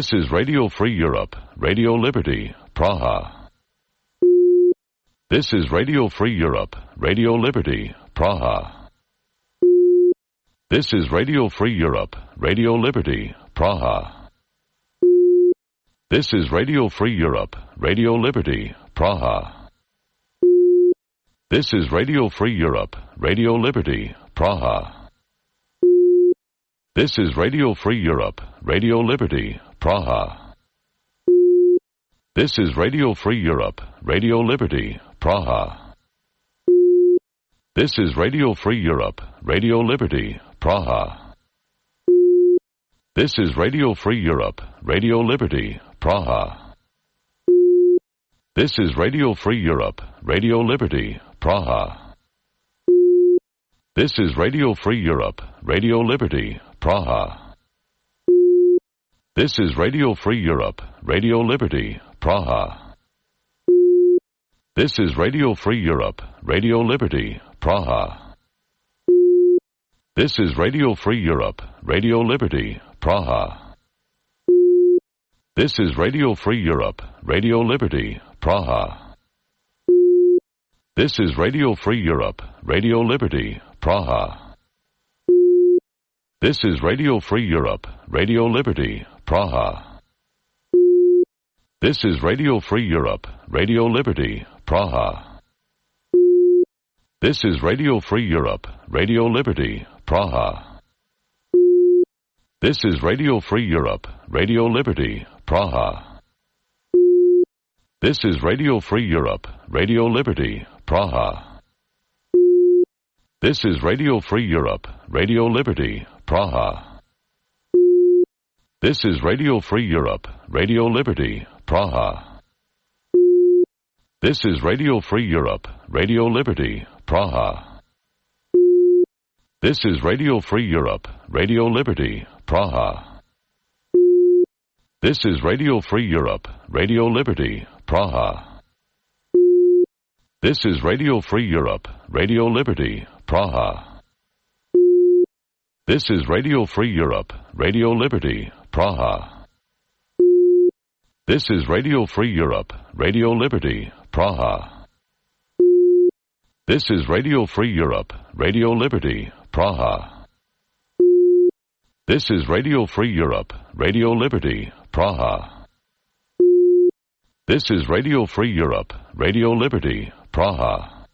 This is Radio Free Europe, Radio Liberty, Praha. This is Radio Free Europe, Radio Liberty, Praha. This is Radio Free Europe, Radio Liberty, Praha. This is Radio Free Europe, Radio Liberty, Praha. This is Radio Free Europe, Radio Liberty, Praha. This is Radio Free Europe, Radio Liberty, Praha. This is Radio Free Europe, Radio Liberty, Praha. This is Radio Free Europe, Radio Liberty, Praha. This is Radio Free Europe, Radio Liberty, Praha. This is Radio Free Europe, Radio Liberty, Praha. This is Radio Free Europe, Radio Liberty, Praha. This is Radio Free Europe, Radio Liberty, Praha. This is Radio Free Europe, Radio Liberty, Praha. This is Radio Free Europe, Radio Liberty, Praha. This is Radio Free Europe, Radio Liberty, Praha. This is Radio Free Europe, Radio Liberty, Praha. This is Radio Free Europe, Radio Liberty, Praha. This is Radio Free Europe, Radio Liberty, Praha. This is Radio Free Europe, Radio Liberty, Praha. This is Radio Free Europe, Radio Liberty, Praha. This is Radio Free Europe, Radio Liberty, Praha. This is Radio Free Europe, Radio Liberty, Praha. This is Radio Free Europe, Radio Liberty, Praha. This is Radio Free Europe, Radio Liberty, Praha. This is Radio Free Europe, Radio Liberty, Praha. This is Radio Free Europe, Radio Liberty, Praha. This is Radio Free Europe, Radio Liberty, Praha. This is Radio Free Europe, Radio Liberty, Praha. This is Radio Free Europe, Radio Liberty, Praha. This is Radio Free Europe, Radio Liberty, Praha. This is Radio Free Europe, Radio Liberty, Praha. This is Radio Free Europe, Radio Liberty, Praha.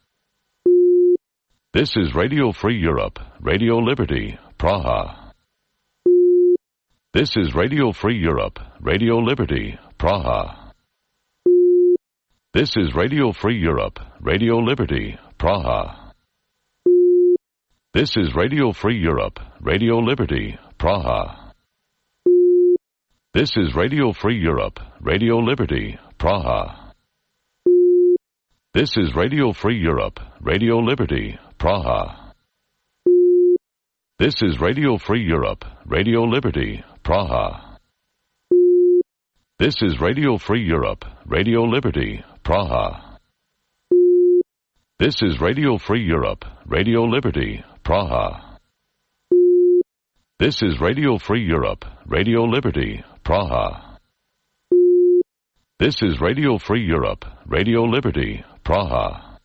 This is Radio Free Europe, Radio Liberty, Praha. This is Radio Free Europe, Radio Liberty, Praha. This is Radio Free Europe, Radio Liberty, Praha. This is Radio Free Europe, Radio Liberty, Praha. This is Radio Free Europe, Radio Liberty, Praha. This is Radio Free Europe, Radio Liberty, Praha. This is Radio Free Europe, Radio Liberty, Praha. This is Radio Free Europe, Radio Liberty, Praha. This is Radio Free Europe, Radio Liberty, Praha. This is Radio Free Europe, Radio Liberty, Praha. This is Radio Free Europe, Radio Liberty, Praha.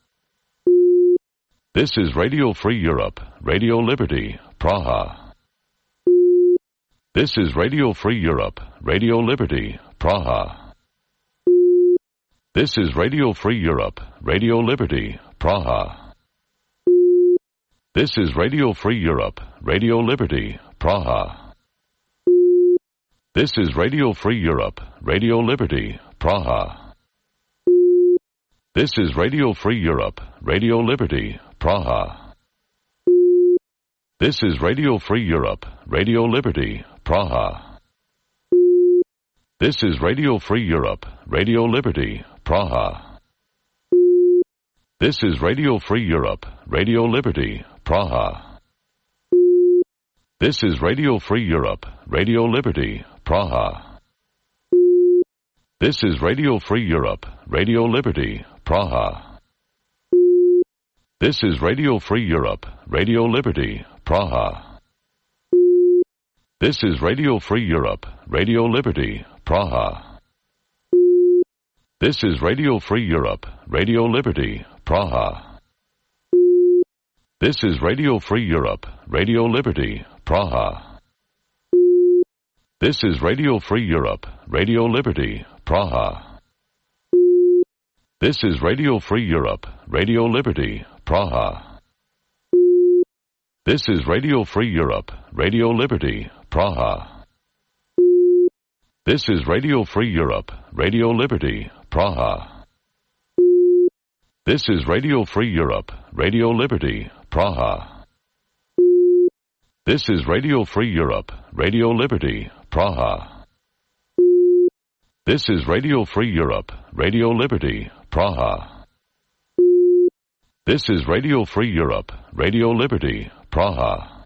This is Radio Free Europe, Radio Liberty, Praha. This is Radio Free Europe, Radio Liberty, Praha. This is Radio Free Europe, Radio Liberty, Praha. This is Radio Free Europe, Radio Liberty, Praha. This is Radio Free Europe, Radio Liberty, Praha. This is Radio Free Europe, Radio Liberty, Praha. This is Radio Free Europe, Radio Liberty, Praha. This is Radio Free Europe, Radio Liberty, Praha. This is Radio Free Europe, Radio Liberty, Praha. This is Radio Free Europe, Radio Liberty, Praha. This is Radio Free Europe, Radio Liberty, Praha. This is Radio Free Europe, Radio Liberty, Praha. This is Radio Free Europe, Radio Liberty, Praha. This is Radio Free Europe, Radio Liberty, Praha. This is Radio Free Europe, Radio Liberty, Praha. This is Radio Free Europe, Radio Liberty, Praha. This is Radio Free Europe, Radio Liberty, Praha. This is Radio Free Europe, Radio Liberty, Praha. This is Radio Free Europe, Radio Liberty, Praha. This is Radio Free Europe, Radio Liberty, Praha. This is Radio Free Europe, Radio Liberty, Praha. This is Radio Free Europe, Radio Liberty, Praha. This is Radio Free Europe, Radio Liberty, Praha.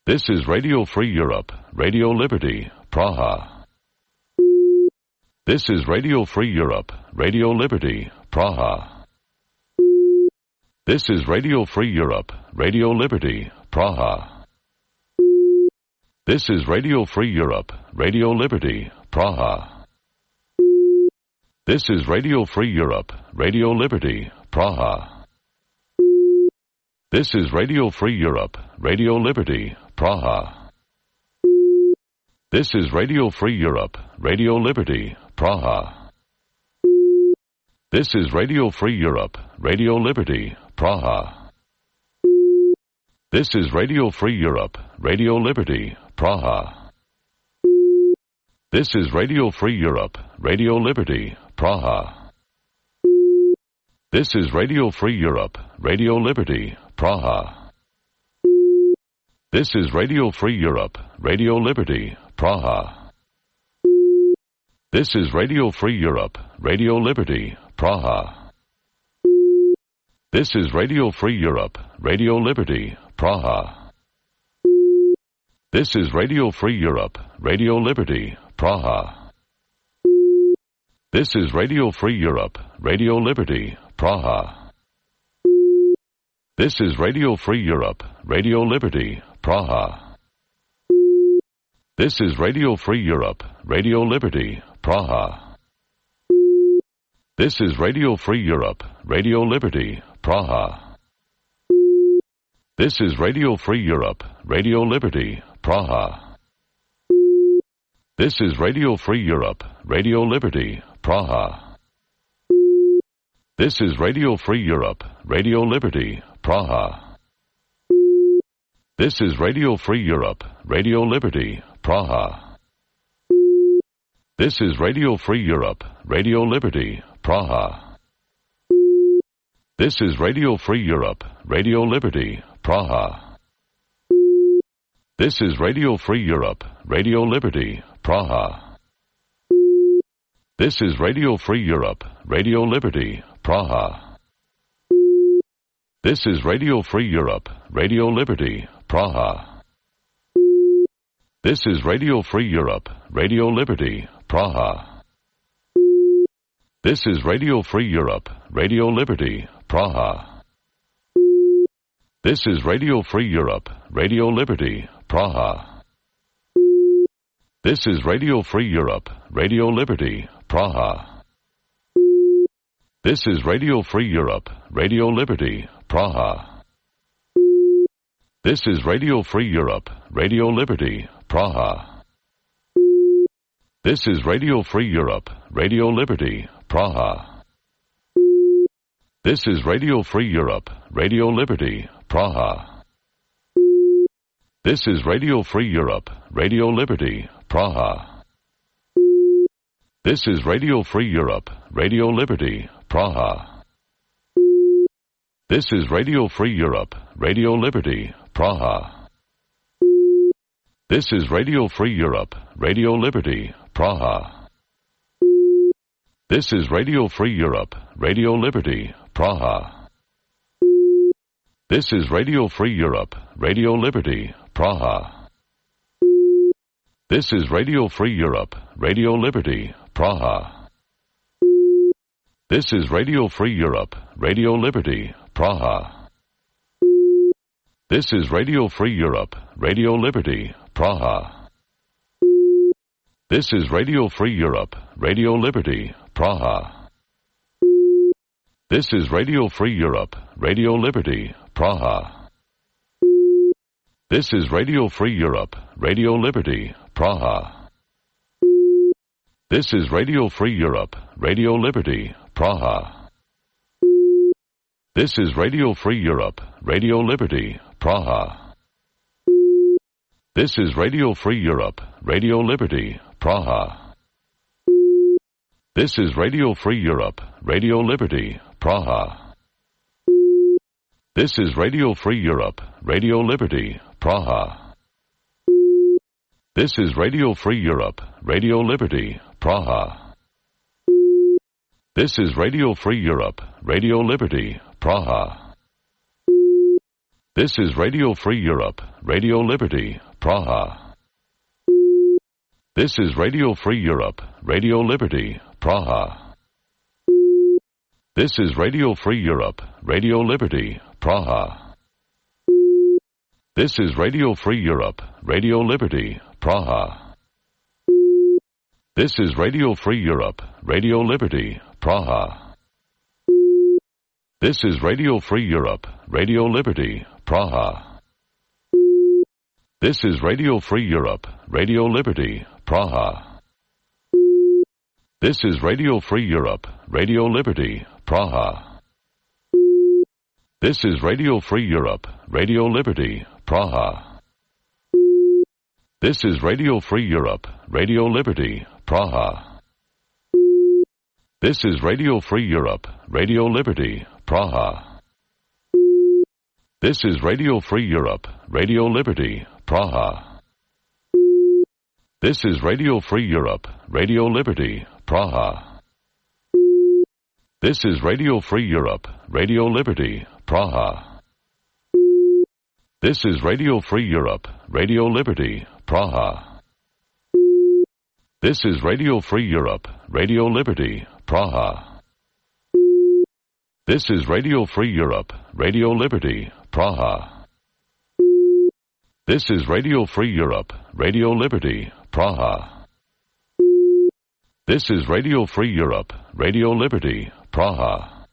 This is Radio Free Europe, Radio Liberty, Praha. This is Radio Free Europe, Radio Liberty, Praha. This is Radio Free Europe, Radio Liberty, Praha. This is Radio Free Europe, Radio Liberty, Praha. This is Radio Free Europe, Radio Liberty, Praha. This is Radio Free Europe, Radio Liberty, Praha. This is Radio Free Europe, Radio Liberty, Praha. This is Radio Free Europe, Radio Liberty, Praha. This is Radio Free Europe, Radio Liberty, Praha. This is Radio Free Europe, Radio Liberty, Praha. This is Radio Free Europe, Radio Liberty, Praha. This is Radio Free Europe, Radio Liberty, Praha. This is Radio Free Europe, Radio Liberty, Praha. This is Radio Free Europe, Radio Liberty, Praha. This is Radio Free Europe, Radio Liberty, Praha. This is Radio Free Europe, Radio Liberty, Praha. This is Radio Free Europe, Radio Liberty, Praha. This is Radio Free Europe, Radio Liberty, Praha. This is Radio Free Europe, Radio Liberty, Praha. This is Radio Free Europe, Radio Liberty, Praha. This is Radio Free Europe, Radio Liberty, Praha. This is Radio Free Europe, Radio Liberty, Praha. This is Radio Free Europe, Radio Liberty, Praha. This is Radio Free Europe, Radio Liberty, Praha. This is Radio Free Europe, Radio Liberty, Praha. This is Radio Free Europe, Radio Liberty, Praha. This is Radio Free Europe, Radio Liberty, Praha. This is Radio Free Europe, Radio Liberty, Praha. This is Radio Free Europe, Radio Liberty, Praha. This is Radio Free Europe, Radio Liberty, Praha. This is Radio Free Europe, Radio Liberty, Praha. This is Radio Free Europe, Radio Liberty, Praha. This is Radio Free Europe, Radio Liberty, Praha. This is Radio Free Europe, Radio Liberty, Praha. This is Radio Free Europe, Radio Liberty, Praha. This is Radio Free Europe, Radio Liberty, Praha. This is Radio Free Europe, Radio Liberty, Praha. This is Radio Free Europe, Radio Liberty, Praha. This is Radio Free Europe, Radio Liberty, Praha. This is Radio Free Europe, Radio Liberty, Praha. This is Radio Free Europe, Radio Liberty, Praha. This is Radio Free Europe, Radio Liberty, Praha. This is Radio Free Europe, Radio Liberty, Praha. This is Radio Free Europe, Radio Liberty, Praha. This is Radio Free Europe, Radio Liberty, Praha. This is Radio Free Europe, Radio Liberty, Praha. This is Radio Free Europe, Radio Liberty, Praha. This is Radio Free Europe, Radio Liberty, Praha. This is Radio Free Europe, Radio Liberty, Praha. This is Radio Free Europe, Radio Liberty, Praha. This is Radio Free Europe, Radio Liberty, Praha. This is Radio Free Europe, Radio Liberty, Praha. This is Radio Free Europe, Radio Liberty, Praha. This is Radio Free Europe, Radio Liberty, Praha. This is Radio Free Europe, Radio Liberty, Praha. This is Radio Free Europe, Radio Liberty, Praha. This is Radio Free Europe, Radio Liberty, Praha. This is Radio Free Europe, Radio Liberty, Praha. This is Radio Free Europe, Radio Liberty, Praha. This is Radio Free Europe, Radio Liberty, Praha. This is Radio Free Europe, Radio Liberty, Praha. This is Radio Free Europe, Radio Liberty, Praha. This is Radio Free Europe, Radio Liberty, Praha. This is Radio Free Europe, Radio Liberty, Praha. This is Radio Free Europe, Radio Liberty, Praha. This is Radio Free Europe, Radio Liberty, Praha. This is Radio Free Europe, Radio Liberty, Praha. This is Radio Free Europe, Radio Liberty, Praha. This is Radio Free Europe, Radio Liberty, Praha. This is Radio Free Europe, Radio Liberty, Praha. This is Radio Free Europe, Radio Liberty, Praha. This is Radio Free Europe, Radio Liberty, Praha. This is Radio Free Europe, Radio Liberty, Praha. This is Radio Free Europe, Radio Liberty, Praha.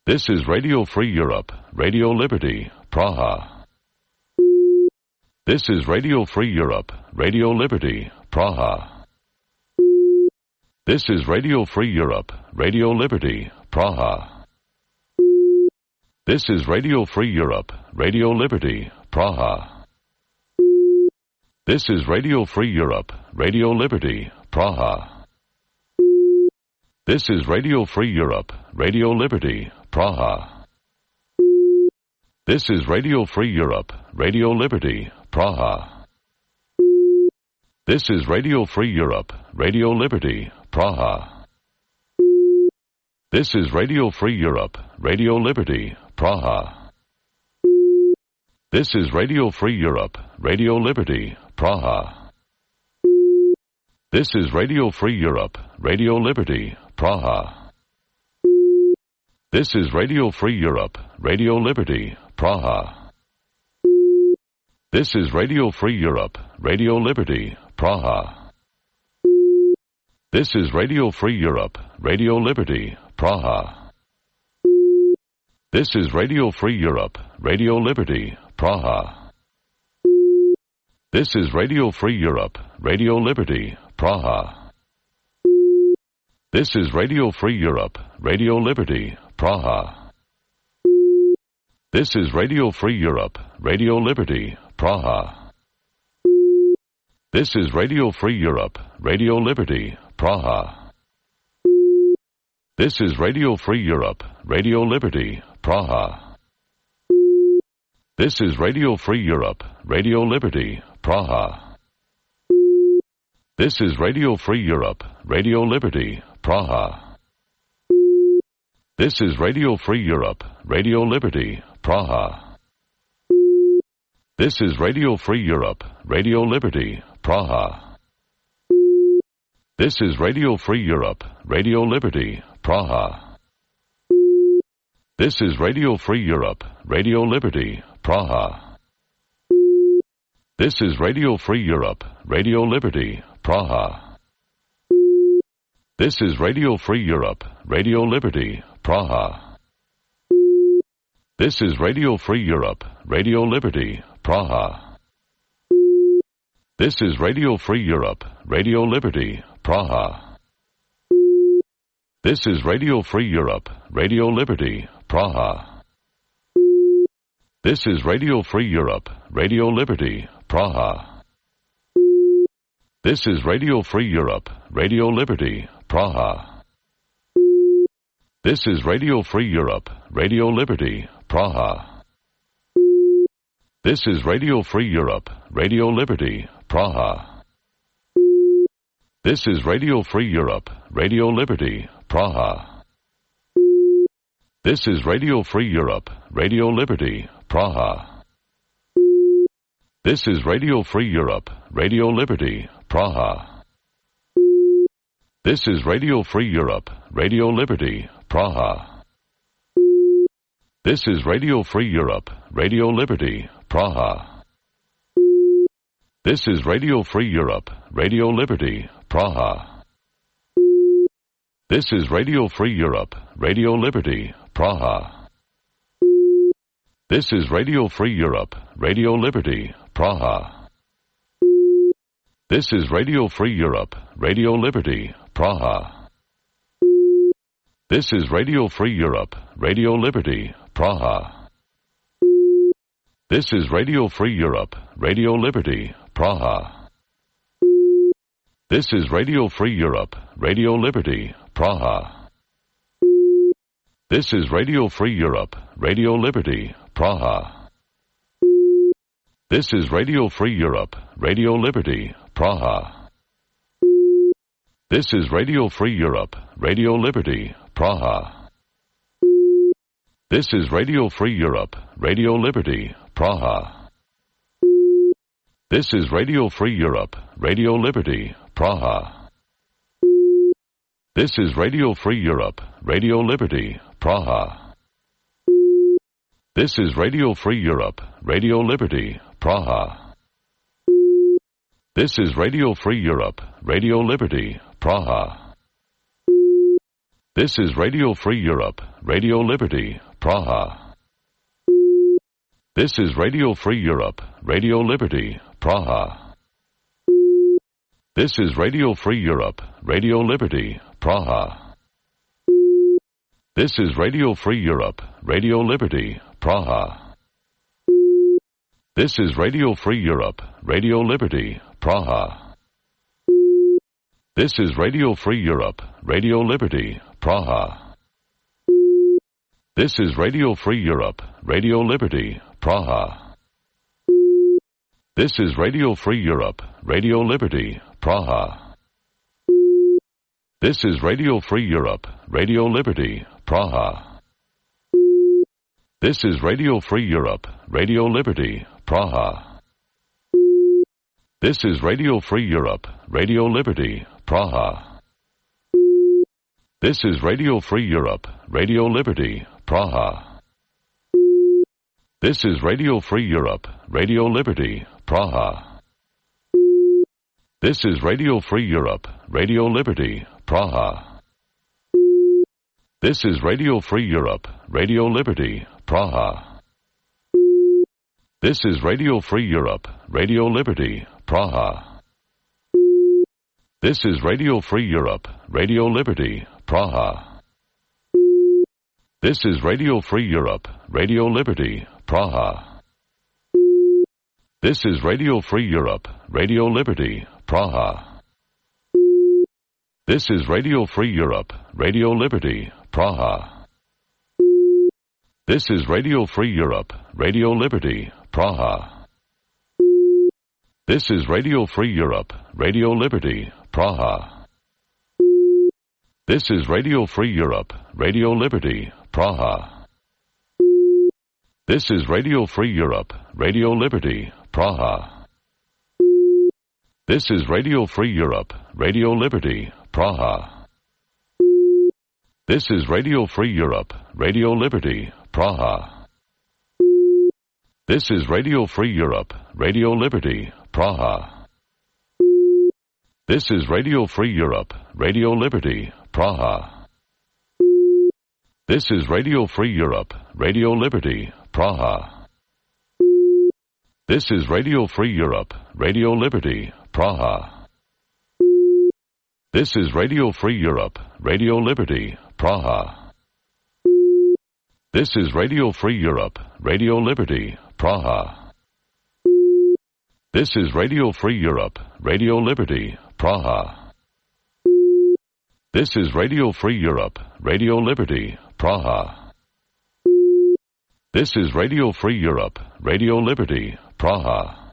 This is Radio Free Europe, Radio Liberty, Praha. This is Radio Free Europe, Radio Liberty, Praha. This is Radio Free Europe, Radio Liberty, Praha. This is Radio Free Europe, Radio Liberty, Praha. This is Radio Free Europe, Radio Liberty, Praha. This is Radio Free Europe, Radio Liberty, Praha. This is Radio Free Europe, Radio Liberty, Praha. This is Radio Free Europe, Radio Liberty, Praha. This is Radio Free Europe, Radio Liberty, Praha. This is Radio Free Europe, Radio Liberty, Praha. This is Radio Free Europe, Radio Liberty, Praha. This is Radio Free Europe, Radio Liberty, Praha. This is Radio Free Europe, Radio Liberty, Praha. This is Radio Free Europe, Radio Liberty, Praha. This is Radio Free Europe, Radio Liberty, Praha. This is Radio Free Europe, Radio Liberty, Praha. This is Radio Free Europe, Radio Liberty, Praha. This is Radio Free Europe, Radio Liberty, Praha. This is Radio Free Europe, Radio Liberty, Praha. This is Radio Free Europe, Radio Liberty, Praha. This is Radio Free Europe, Radio Liberty, Praha. This is Radio Free Europe, Radio Liberty, Praha. This is Radio Free Europe, Radio Liberty, Praha. This is Radio Free Europe, Radio Liberty, Praha. This is Radio Free Europe, Radio Liberty, Praha. This is Radio Free Europe, Radio Liberty, Praha. This is Radio Free Europe, Radio Liberty, Praha. This is Radio Free Europe, Radio Liberty, Praha. This is Radio Free Europe, Radio Liberty, Praha. This is Radio Free Europe, Radio Liberty, Praha. This is Radio Free Europe, Radio Liberty, Praha. This is Radio Free Europe, Radio Liberty, Praha. This is Radio Free Europe, Radio Liberty, Praha. This is Radio Free Europe, Radio Liberty, Praha. This is Radio Free Europe, Radio Liberty, Praha. This is Radio Free Europe, Radio Liberty, Praha. This is Radio Free Europe, Radio Liberty, Praha. This is Radio Free Europe, Radio Liberty, Praha. This is Radio Free Europe, Radio Liberty, Praha. This is Radio Free Europe, Radio Liberty, Praha. This is Radio Free Europe, Radio Liberty, Praha. This is Radio Free Europe, Radio Liberty, Praha. This is Radio Free Europe, Radio Liberty, Praha. This is Radio Free Europe, Radio Liberty, Praha. This is Radio Free Europe, Radio Liberty, Praha. This is Radio Free Europe, Radio Liberty, Praha. This is Radio Free Europe, Radio Liberty, Praha. This is Radio Free Europe, Radio Liberty, Praha. This is Radio Free Europe, Radio Liberty, Praha. This is Radio Free Europe, Radio Liberty, Praha. This is Radio Free Europe, Radio Liberty, Praha. This is Radio Free Europe, Radio Liberty, Praha. This is Radio Free Europe, Radio Liberty, Praha. This is Radio Free Europe, Radio Liberty, Praha. This is Radio Free Europe, Radio Liberty, Praha. This is Radio Free Europe, Radio Liberty, Praha. This is Radio Free Europe, Radio Liberty, Praha. This is Radio Free Europe, Radio Liberty, Praha. This is Radio Free Europe, Radio Liberty, Praha. This is Radio Free Europe, Radio Liberty, Praha. This is Radio Free Europe, Radio Liberty, Praha. This is Radio Free Europe, Radio Liberty, Praha. This is Radio Free Europe, Radio Liberty, Praha. This is Radio Free Europe, Radio Liberty, Praha. This is Radio Free Europe, Radio Liberty, Praha. This is Radio Free Europe, Radio Liberty, Praha. This is Radio Free Europe, Radio Liberty, Praha. This is Radio Free Europe, Radio Liberty, Praha. This is Radio Free Europe, Radio Liberty, Praha. This is Radio Free Europe, Radio Liberty, Praha. This is Radio Free Europe, Radio Liberty, Praha. This is Radio Free Europe, Radio Liberty, Praha. This is Radio Free Europe, Radio Liberty, Praha. This is Radio Free Europe, Radio Liberty, Praha. This is Radio Free Europe, Radio Liberty, Praha. This is Radio Free Europe, Radio Liberty, Praha. This is Radio Free Europe, Radio Liberty, Praha. This is Radio Free Europe, Radio Liberty, Praha. This is Radio Free Europe, Radio Liberty, Praha. This is Radio Free Europe, Radio Liberty, Praha. This is Radio Free Europe, Radio Liberty, Praha. This is Radio Free Europe, Radio Liberty, Praha. This is Radio Free Europe, Radio Liberty, Praha. This is Radio Free Europe, Radio Liberty, Praha. This is Radio Free Europe, Radio Liberty, Praha. This is Radio Free Europe, Radio Liberty, Praha. This is Radio Free Europe, Radio Liberty, Praha. This is Radio Free Europe, Radio Liberty, Praha. This is Radio Free Europe, Radio Liberty, Praha. This is Radio Free Europe, Radio Liberty, Praha.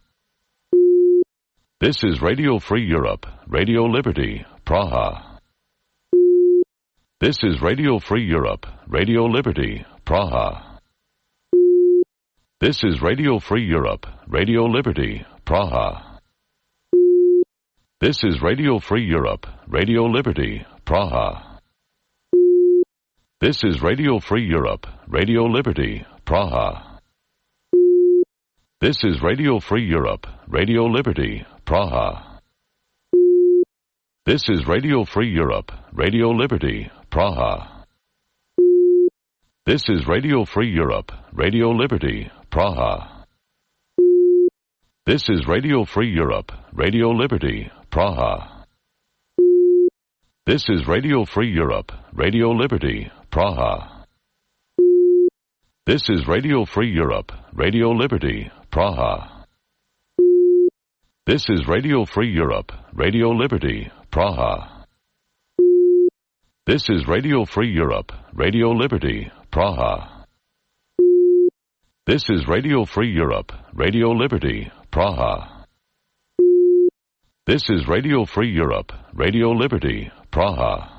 This is Radio Free Europe, Radio Liberty, Praha. This is Radio Free Europe, Radio Liberty, Praha. This is Radio Free Europe, Radio Liberty, Praha. This is Radio Free Europe, Radio Liberty, Praha. This is Radio Free Europe, Radio Liberty, Praha. This is Radio Free Europe, Radio Liberty, Praha. This is Radio Free Europe, Radio Liberty, Praha. This is Radio Free Europe, Radio Liberty, Praha. This is Radio Free Europe, Radio Liberty, Praha. This is Radio Free Europe, Radio Liberty, Praha. This is Radio Free Europe, Radio Liberty, Praha. This is Radio Free Europe, Radio Liberty, Praha. This is Radio Free Europe, Radio Liberty, Praha. This is Radio Free Europe, Radio Liberty, Praha. This is Radio Free Europe, Radio Liberty, Praha.